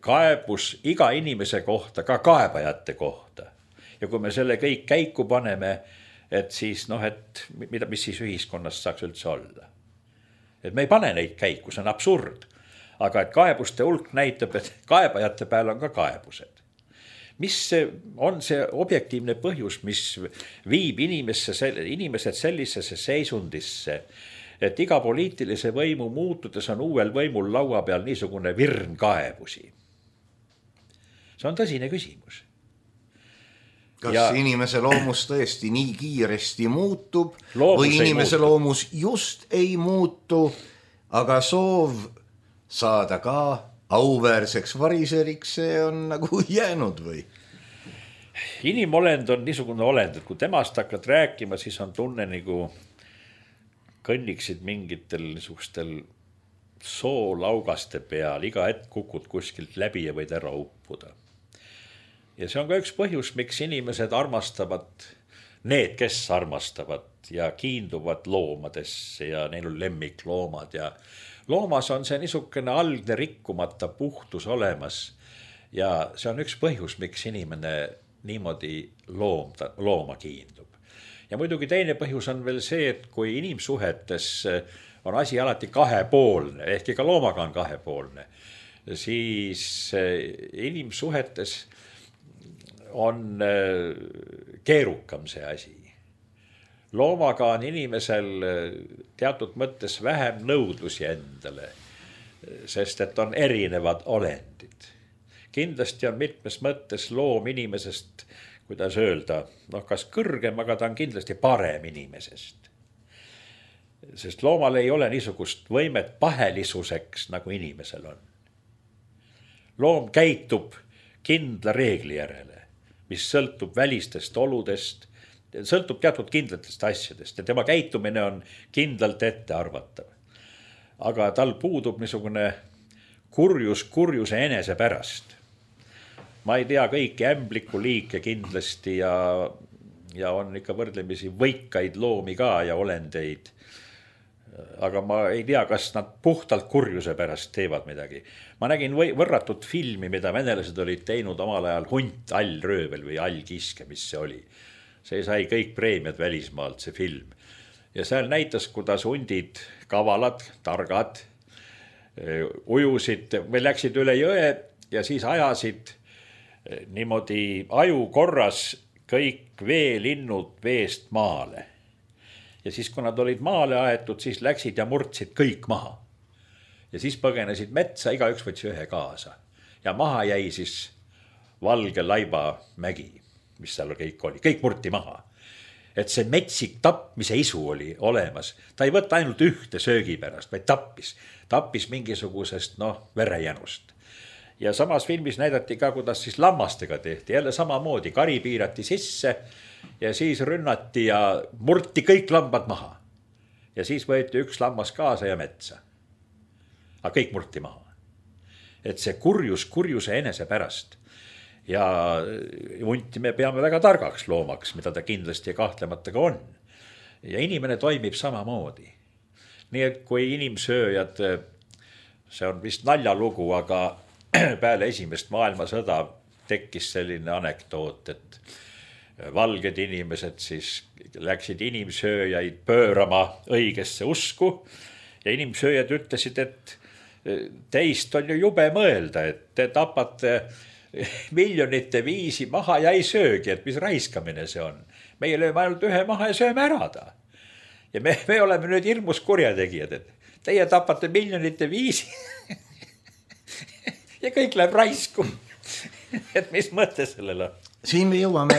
kaebus iga inimese kohta, ka kaebajate kohta. Ja kui me selle kõik käiku paneme, et siis noh, et mida, mis siis ühiskonnast saaks üldse olla. Et me ei pane neid käiku, see on absurd. Aga et kaebuste hulk näitab, et kaebajate peal on ka kaebused. Mis on see objektiivne põhjus, mis viib inimesse, inimesed sellisesse seisundisse, et iga poliitilise võimu muutudes on uuel võimul laua peal niisugune virn kaebusi? See on tõsine küsimus. Kas ja inimese loomus tõesti nii kiiresti muutub loomus või inimese muutu. Loomus just ei muutu, aga soov saada ka auväärseks variseriks, see on nagu jäänud või? Inimolend on niisugune olend, et kui temast hakkad rääkima, siis on tunne nagu kõnniksid mingitel niisugustel soolaugaste peal, iga hetk kukud kuskilt läbi ja võid ära uppuda. Ja see on ka üks põhjus, miks inimesed armastavad, need, kes armastavad ja kiinduvad loomadesse ja neil on lemmikloomad ja loomas on see niisugune algne rikkumata puhtus olemas ja see on üks põhjus, miks inimene niimoodi loom, looma kiindub. Ja muidugi teine põhjus on veel see, et kui inimsuhetes on asi alati kahepoolne, ehk ka loomaga on kahepoolne, siis inimsuhetes on keerukam see asi. Loomaga on inimesel teatud mõttes vähem nõudlusi endale, sest et on erinevad olendid. Kindlasti on mitmes mõttes loom inimesest, kuidas öelda, noh kas kõrgem, aga ta on kindlasti parem inimesest. Sest loomal ei ole niisugust võimet pahelisuseks, nagu inimesel on. Loom käitub kindla reegli järele, mis sõltub välistest oludest, sõltub teatud kindlatest asjadest ja tema käitumine on kindlalt ette arvatav. Aga tal puudub niisugune kurjus kurjuse enese pärast. Ma ei tea kõiki ämbliku liike kindlasti ja, ja on ikka võrdlemisi võikaid loomi ka ja olendeid. Aga ma ei tea, kas nad puhtalt kurjuse pärast teevad midagi. Ma nägin võrratut filmi, mida venelased olid teinud omal ajal Hunt, allröövel või allkiske, mis see oli. See sai kõik preemiad välismaalt, see film. Ja seal näitas, kuidas hundid, kavalad, targad, ujusid või läksid üle jõe ja siis ajasid niimoodi aju korras kõik veelinnud veest maale. Ja siis, kui nad olid maale aetud, siis läksid ja murdsid kõik maha. Ja siis põgenesid metsa, iga üks võtsi ühe kaasa. Ja maha jäi siis valge laiba mägi, mis seal kõik oli. Kõik murti maha. Et see metsik tapmise isu oli olemas. Ta ei võtta ainult ühte söögi pärast, vaid tappis. Tappis mingisugusest, noh, verejänust. Ja samas filmis näidati ka, kuidas siis lammastega tehti. Jälle samamoodi, kari piirati sisse ja siis rünnati ja murti kõik lambad maha. Ja siis võeti üks lammas kaasa ja metsa. Aga kõik murti maha. Et see kurjus kurjuse enese pärast. Ja hunti me peame väga targaks loomaks, mida ta kindlasti ja kahtlemata ka on. Ja inimene toimib samamoodi. Nii et kui inimsööjad, see on vist naljalugu, aga peale esimest maailmasõda tekkis selline anekdoot, et valged inimesed siis läksid inimsööjaid pöörama õigesse usku ja inimsööjad ütlesid, et teist on ju jube mõelda, et te tapate miljonite viisi maha ja ei söögi, et mis raiskamine see on. Meie lööme ainult ühe maha ja sööme ära ta. Ja me, me oleme nüüd hirmus kurjategijad, et teie tapate miljonite viisi ja kõik läheb raisku. Et mis mõte sellel on? Siin me jõuame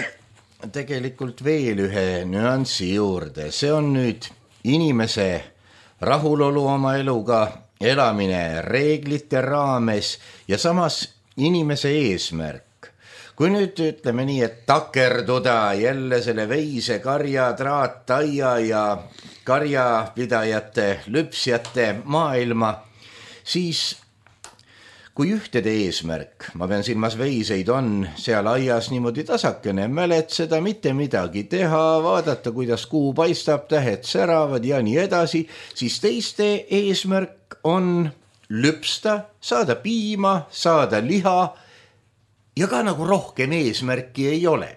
tegelikult veel ühe nüansi juurde. See on nüüd inimese rahulolu oma eluga, elamine reeglite raames ja samas inimese eesmärk. Kui nüüd ütleme nii, et takerduda jälle selle veise karja, traataia ja karjapidajate, lüpsjate maailma, siis kui ühtede eesmärk, ma pean silmas veiseid, on seal aias niimoodi tasakene mäletseda, mitte midagi teha, vaadata, kuidas kuu paistab, tähed säravad ja nii edasi, siis teiste eesmärk on lüpsta, saada piima, saada liha ja ka nagu rohkem eesmärki ei ole.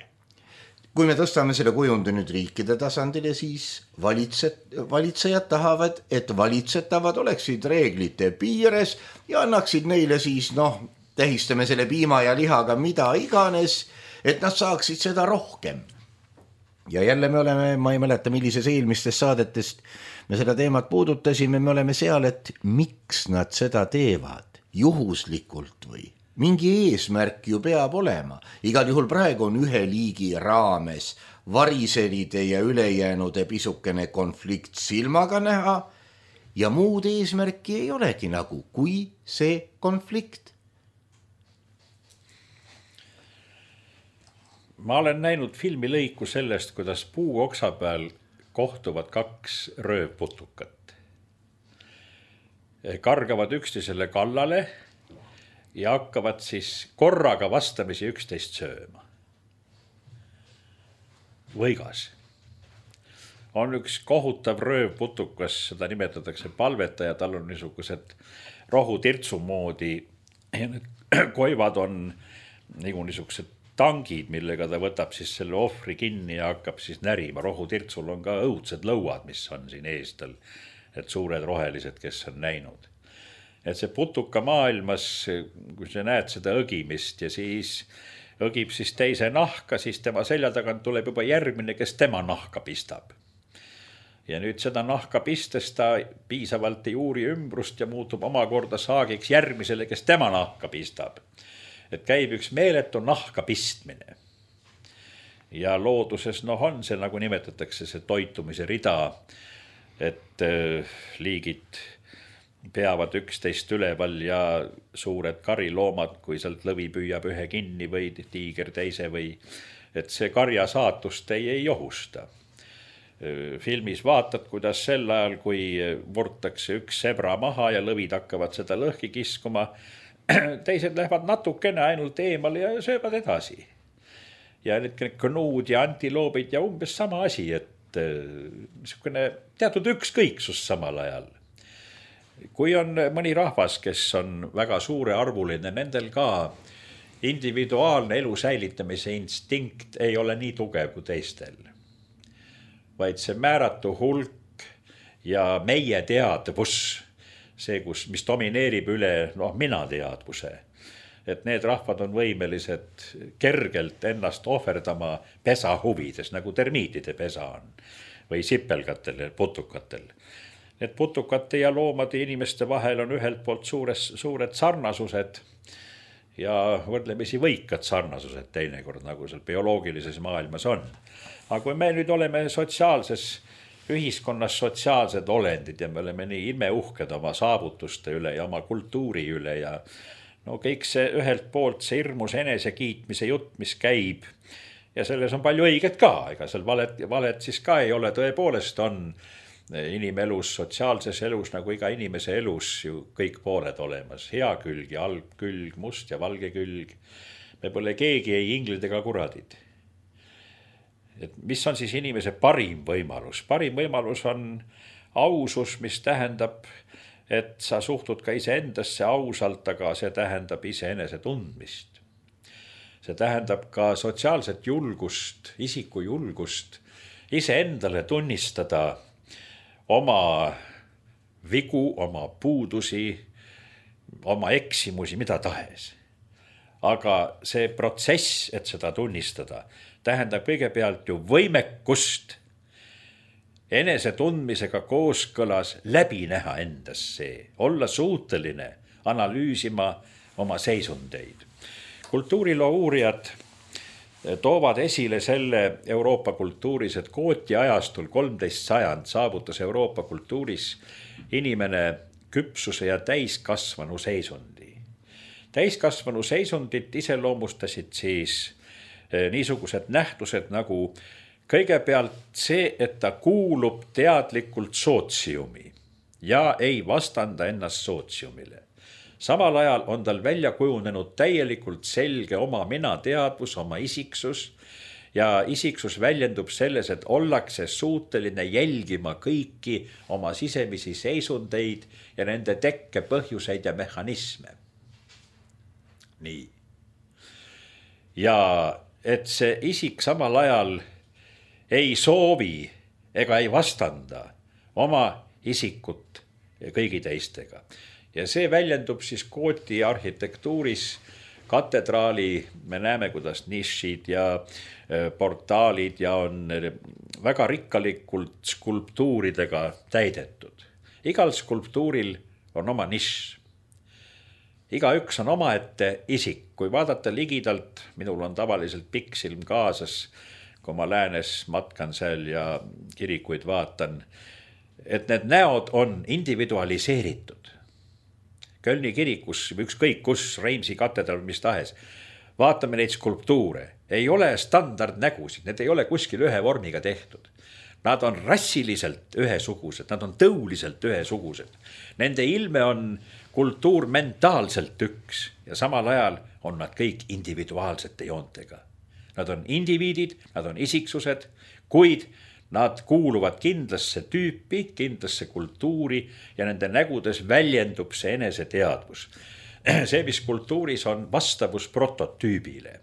Kui me tõstame selle kujundu nüüd riikide tasandile, siis valitset, valitsejad tahavad, et valitsetavad oleksid reeglite piires ja annaksid neile siis, noh, tähistame selle piima ja lihaga mida iganes, et nad saaksid seda rohkem. Ja jälle me oleme, ma ei mäleta, millises eelmistest saadetest me seda teemat puudutasime, me oleme seal, et miks nad seda teevad, juhuslikult või? Mingi eesmärk ju peab olema. Igal juhul praegu on ühe liigi raames variselide ja ülejäänude pisukene konflikt silmaga näha ja muud eesmärki ei olegi nagu, kui see konflikt. Ma olen näinud filmilõiku sellest, kuidas puu oksa peal kohtuvad kaks röövputukat. Kargavad üksteisele kallale ja hakkavad siis korraga vastamisi üksteist sööma. Võigas. On üks kohutav röövputukas, seda nimetatakse palvetaja, tal on niisugused rohutirtsu moodi ja need koivad on nagu niisugused tangid, millega ta võtab siis selle ohvri kinni ja hakkab siis närima. Rohutirtsul on ka õudsed lõuad, mis on siin eestel, et suured rohelised, kes on näinud. Et see putuka maailmas, kui sa näed seda õgimist ja siis õgib siis teise nahka, siis tema selja tagant tuleb juba järgmine, kes tema nahka pistab. Ja nüüd seda nahka pistes ta piisavalt ei uuri ümbrust ja muutub omakorda saagiks järgmisele, kes tema nahka pistab. Et käib üks meeletu nahka pistmine. Ja looduses noh, on see, nagu nimetatakse, see toitumise rida, et liigid peavad üksteist üleval ja suured kariloomad, kui sealt lõvi püüab ühe kinni või tiiger teise või, et see karja saatust ei, ei ohusta. Filmis vaatad, kuidas sel ajal, kui murtakse üks sebra maha ja lõvid hakkavad seda lõhki kiskuma, teised lähevad natukene ainult eemal ja söövad edasi. Ja need knuud ja antiloobid ja umbes sama asi, et niisugune teatud ükskõiksus samal ajal. Kui on mõni rahvas, kes on väga suure arvuline, nendel ka individuaalne elu säilitamise instinkt ei ole nii tugev kui teistel. Vaid see määratu hulk ja meie teadvus, see, kus, mis domineerib üle noh, mina teadvuse, et need rahvad on võimelised kergelt ennast ohverdama pesa huvides, nagu termiitide pesa on või sipelgatel ja putukatel. Need putukate ja loomade inimeste vahel on ühelt poolt suures, suured sarnasused ja võrdlemisi võikad sarnasused teinekord, nagu seal bioloogilises maailmas on. Aga kui me nüüd oleme sotsiaalses ühiskonnas sotsiaalsed olendid ja me oleme nii imeuhked oma saavutuste üle ja oma kultuuri üle ja no kõik see ühelt poolt see hirmus enese kiitmise jutt, mis käib ja selles on palju õiget ka, ega seal valet, valet siis ka ei ole, tõepoolest on inimelus, sotsiaalses elus nagu iga inimese elus ju kõik pooled olemas, hea külg ja halb külg, must ja valge külg. Me pole keegi ei inglid ega kuradid. Et mis on siis inimese parim võimalus? Parim võimalus on ausus, mis tähendab, et sa suhtud ka ise endasse ausalt, aga see tähendab ise enese tundmist. See tähendab ka sotsiaalset julgust, isiku julgust, ise endale tunnistada oma vigu, oma puudusi, oma eksimusi, mida tahes. Aga see protsess, et seda tunnistada, tähendab kõigepealt ju võimekust enese tundmisega kooskõlas läbi näha endas see, olla suuteline analüüsima oma seisundeid. Kultuuriloo uurijad toovad esile selle Euroopa kultuuris, et Gooti ajastul kolmteist sajand saavutas Euroopa kultuuris inimene küpsuse ja täiskasvanu seisundi. Täiskasvanu seisundit iseloomustasid siis niisugused nähtused nagu kõigepealt see, et ta kuulub teadlikult sootsiumi ja ei vastanda ennast sootsiumile. Samal ajal on tal välja kujunenud täielikult selge oma minateadvus, oma isiksus ja isiksus väljendub selles, et ollakse suuteline jälgima kõiki oma sisemisi seisundeid ja nende tekke põhjuseid ja mehhanisme. Nii. Ja et see isik samal ajal ei soovi ega ei vastanda oma isikut kõigi teistega. Ja see väljendub siis Gooti arhitektuuris, katedraali, me näeme, kuidas nišid ja portaalid ja on väga rikkalikult skulptuuridega täidetud. Igal skulptuuril on oma nišš. Igaüks on omaette isik. Kui vaadata ligidalt, minul on tavaliselt pikksilm kaasas, kui ma läänes matkan seal ja kirikuid vaatan, et need näod on individualiseeritud. Kölni kirikus, ükskõik kus, Reimsi katedral, mis tahes, vaatame neid skulptuure. Ei ole standardnägusid, need ei ole kuskil ühe vormiga tehtud. Nad on rassiliselt ühesugused, nad on tõuliselt ühesugused. Nende ilme on kultuur mentaalselt üks ja samal ajal on nad kõik individuaalsete joontega. Nad on indiviidid, nad on isiksused, kuid nad kuuluvad kindlasse tüüpi, kindlasse kultuuri ja nende nägudes väljendub see eneseteadvus. See, mis kultuuris on vastavus prototüübile.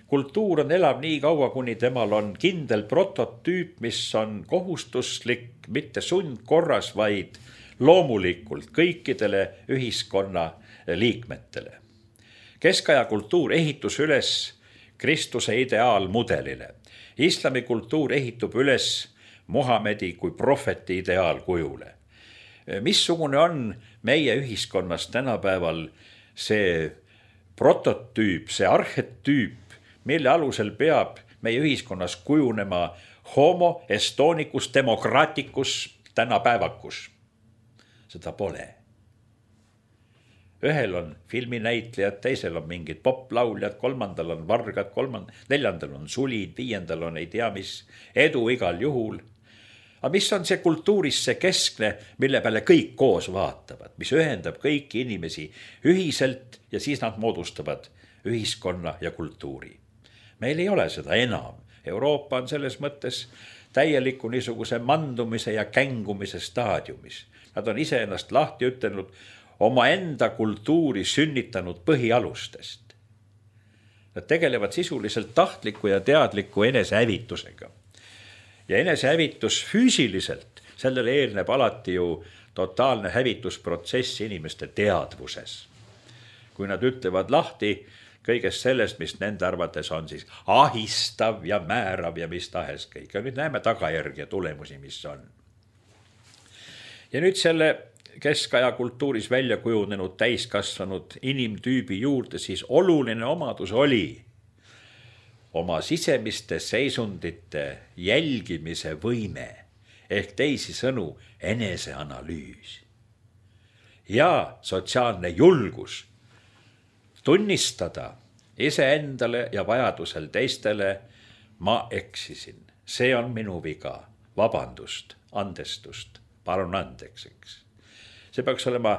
Kultuur on elav nii kaua, kuni temal on kindel prototüüp, mis on kohustuslik, mitte sundkorras, vaid loomulikult kõikidele ühiskonna liikmetele. Keskaja kultuur ehitus üles Kristuse ideaalmudelile. Islami kultuur ehitub üles Muhamedi kui prohveti ideaalkujule. Missugune on meie ühiskonnas tänapäeval see prototüüp, see arhetüüp, mille alusel peab meie ühiskonnas kujunema homo estonicus democraticus tänapäevakus? Seda pole. Ühel on filminäitlejad, teisel on mingid poplauljad, kolmandal on vargad, kolmand... neljandal on sulid, viiendal on ei tea mis edu igal juhul. Aga mis on see kultuuris see keskne, mille peale kõik koos vaatavad, mis ühendab kõiki inimesi ühiselt ja siis nad moodustavad ühiskonna ja kultuuri. Meil ei ole seda enam. Euroopa on selles mõttes täieliku niisuguse mandumise ja kängumise staadiumis. Nad on ise ennast lahti ütelnud oma enda kultuuri sünnitanud põhialustest. Nad tegelevad sisuliselt tahtliku ja teadliku enesehävitusega. Ja enesehävitus füüsiliselt, sellele eelneb alati ju totaalne hävitusprotsess inimeste teadvuses. Kui nad ütlevad lahti kõigest sellest, mis nende arvates on siis ahistav ja määrav ja mis tahes kõik. Ja nüüd näeme tagajärgi ja tulemusi, mis on. Ja nüüd selle keskaja kultuuris välja kujunenud täiskasvanud inimtüübi juurde siis oluline omadus oli oma sisemiste seisundite jälgimise võime ehk teisi sõnu eneseanalüüs ja sotsiaalne julgus tunnistada iseendale ja vajadusel teistele, ma eksisin, see on minu viga, vabandust, andestust, palun andeks, eks. See peaks olema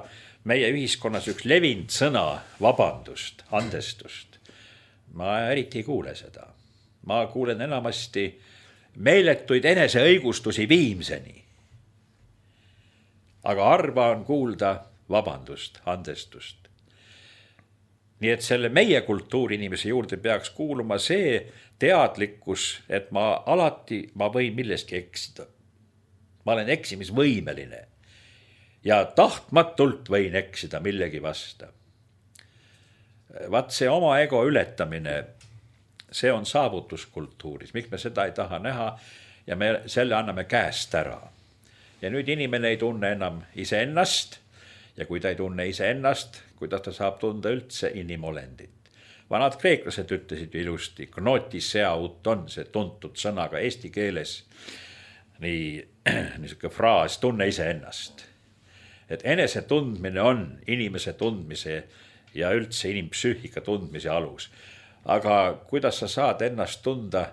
meie ühiskonnas üks levinud sõna, vabandust, andestust. Ma eriti ei kuule seda. Ma kuulen enamasti meeletuid eneseõigustusi viimseni. Aga harva on kuulda vabandust, andestust. Nii et selle meie kultuurinimese juurde peaks kuuluma see teadlikkus, et ma alati, ma võin milleski eksida. Ma olen eksimisvõimeline ja tahtmatult võin eksida millegi vasta. Vaat see oma ego ületamine, see on saavutuskultuuris, miks me seda ei taha näha ja me selle anname käest ära. Ja nüüd inimene ei tunne enam iseennast ja kui ta ei tunne iseennast, kuidas ta saab tunda üldse inimolendit. Vanad kreeklased ütlesid ilusti, gnotisea uton, see tuntud sõnaga eesti keeles, nii niisugune fraas, tunne iseennast. Et enese tundmine on inimese tundmise ja üldse inimpsüühika tundmise alus. Aga kuidas sa saad ennast tunda,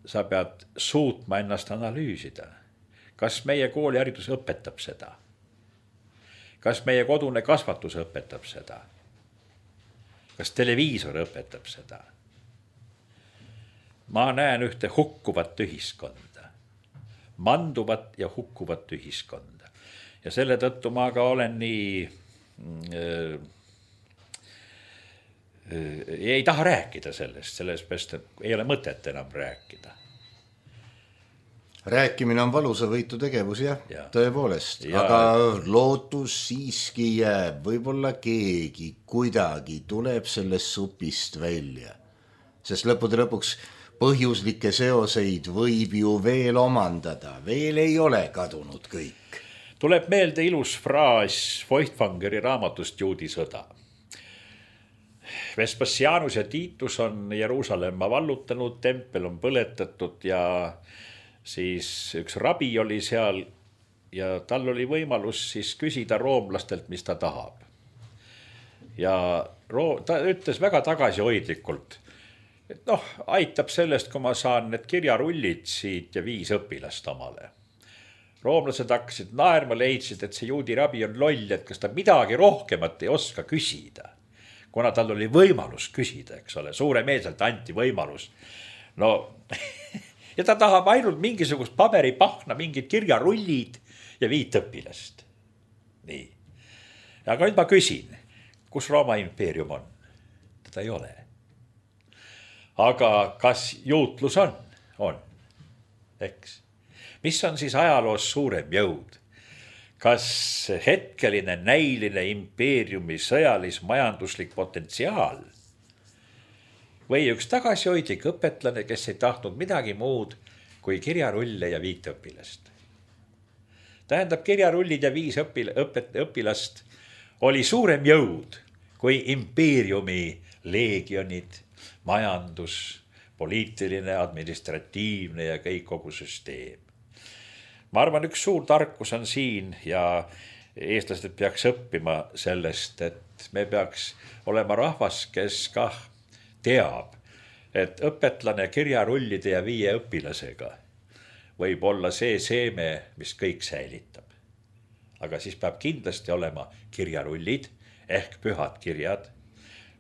sa pead suutma ennast analüüsida. Kas meie kooliharidus õpetab seda? kas meie kodune kasvatus õpetab seda? Kas televiisor õpetab seda? Ma näen ühte hukkuvat ühiskonda, manduvat ja hukkuvat ühiskonda. Ja selle tõttu ma ka olen nii, äh, äh, ei taha rääkida sellest, sellest best, ei ole mõtet enam rääkida. Rääkimine on valusavõitu tegevus, jah, ja. Tõepoolest, ja. Aga lootus siiski jääb, võib-olla keegi kuidagi tuleb sellest supist välja, sest lõppude lõpuks põhjuslikke seoseid võib ju veel omandada, veel ei ole kadunud kõik. Tuleb meelde ilus fraas Feuchtwangeri raamatust Juudisõda. Vespasianus ja Titus on Jeruusalemma vallutanud, tempel on põletatud ja siis üks rabi oli seal ja tal oli võimalus siis küsida roomlastelt, mis ta tahab. Ja ta ütles väga tagasihoidlikult, et noh, aitab sellest, kui ma saan need kirjarullid siit ja viis õpilast omale. Roomlased hakkasid naerma, leidsid, et see juudi rabi on loll, et kas ta midagi rohkemat ei oska küsida. Kuna tal oli võimalus küsida, eks ole, suuremeelselt anti võimalus. No... Ja ta tahab ainult mingisugust paberipahna, mingid kirjarullid ja viit õpilast. Nii. Aga nüüd ma küsin, kus Rooma impeerium on? Teda ei ole. Aga kas juutlus on? On. Eks. Mis on siis ajaloos suurem jõud? Kas hetkeline näiline impeeriumi sõjalis majanduslik potentsiaal? Või üks tagasihoidlik õpetlane, kes ei tahtnud midagi muud kui kirjarulle ja viit õpilast. Tähendab, kirjarullid ja viis õpil- õpet- õpilast oli suurem jõud kui impeeriumi leegionid, majandus, poliitiline, administratiivne ja kõik kogu süsteem. Ma arvan, üks suur tarkus on siin ja eestlased peaks õppima sellest, et me peaks olema rahvas, kes kah teab, et õpetlane kirjarullide ja viie õpilasega võib olla see seeme, mis kõik säilitab. Aga siis peab kindlasti olema kirjarullid ehk pühad kirjad,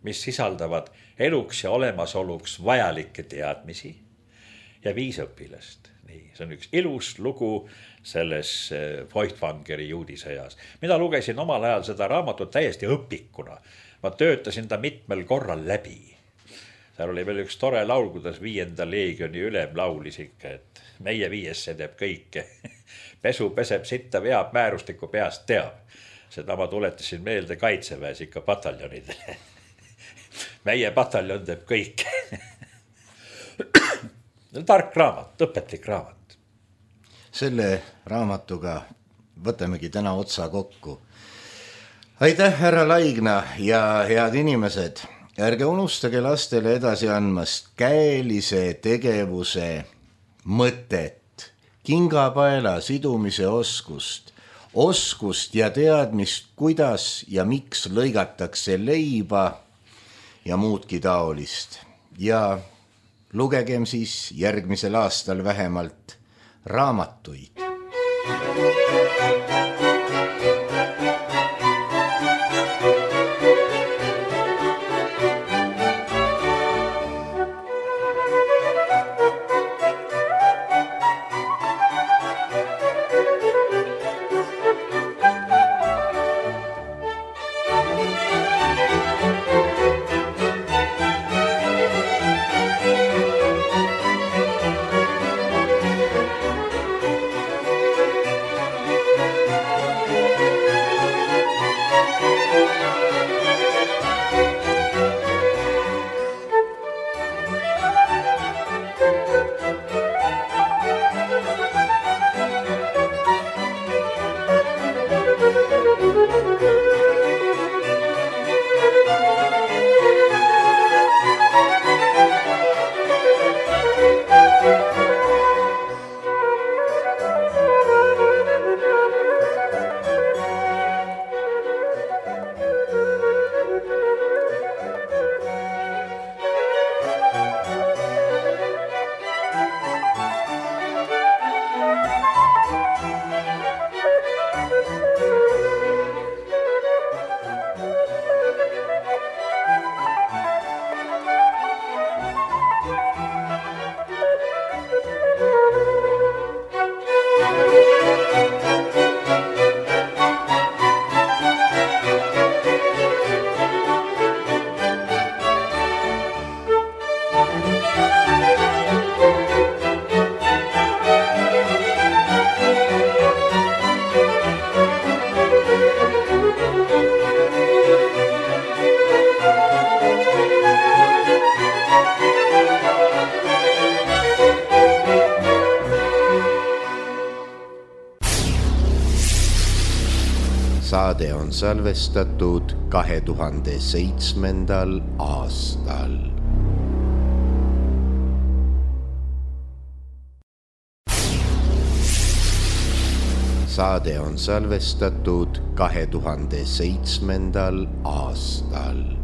mis sisaldavad eluks ja olemasoluks vajalikke teadmisi ja viis õpilast. Nii, see on üks ilus lugu selles Feuchtwangeri juudisõjas. Mina lugesin omal ajal seda raamatut täiesti õpikuna. Ma töötasin ta mitmel korral läbi. Seal oli veel üks tore laul, kuidas viienda leegioni ülem laulis ikka, et meie viiesse teeb kõike. Pesu peseb sitta veab, määrustiku peast teab. Seda ma tuletasin meelde kaitseväes ikka pataljonidele. Meie pataljon teeb kõike. Tark raamat, õpetlik raamat. Selle raamatuga võtamegi täna otsa kokku. Aitäh, härra Laigna ja head inimesed. Ärge unustage lastele edasi andmast käelise tegevuse mõtet, kingapaela sidumise oskust, oskust ja teadmist, kuidas ja miks lõigatakse leiba ja muudki taolist. Ja lugegem siis järgmisel aastal vähemalt raamatuid. saade on salvestatud kahe tuhande seitsmendal aastal. saade on salvestatud kahe tuhande seitsmendal aastal.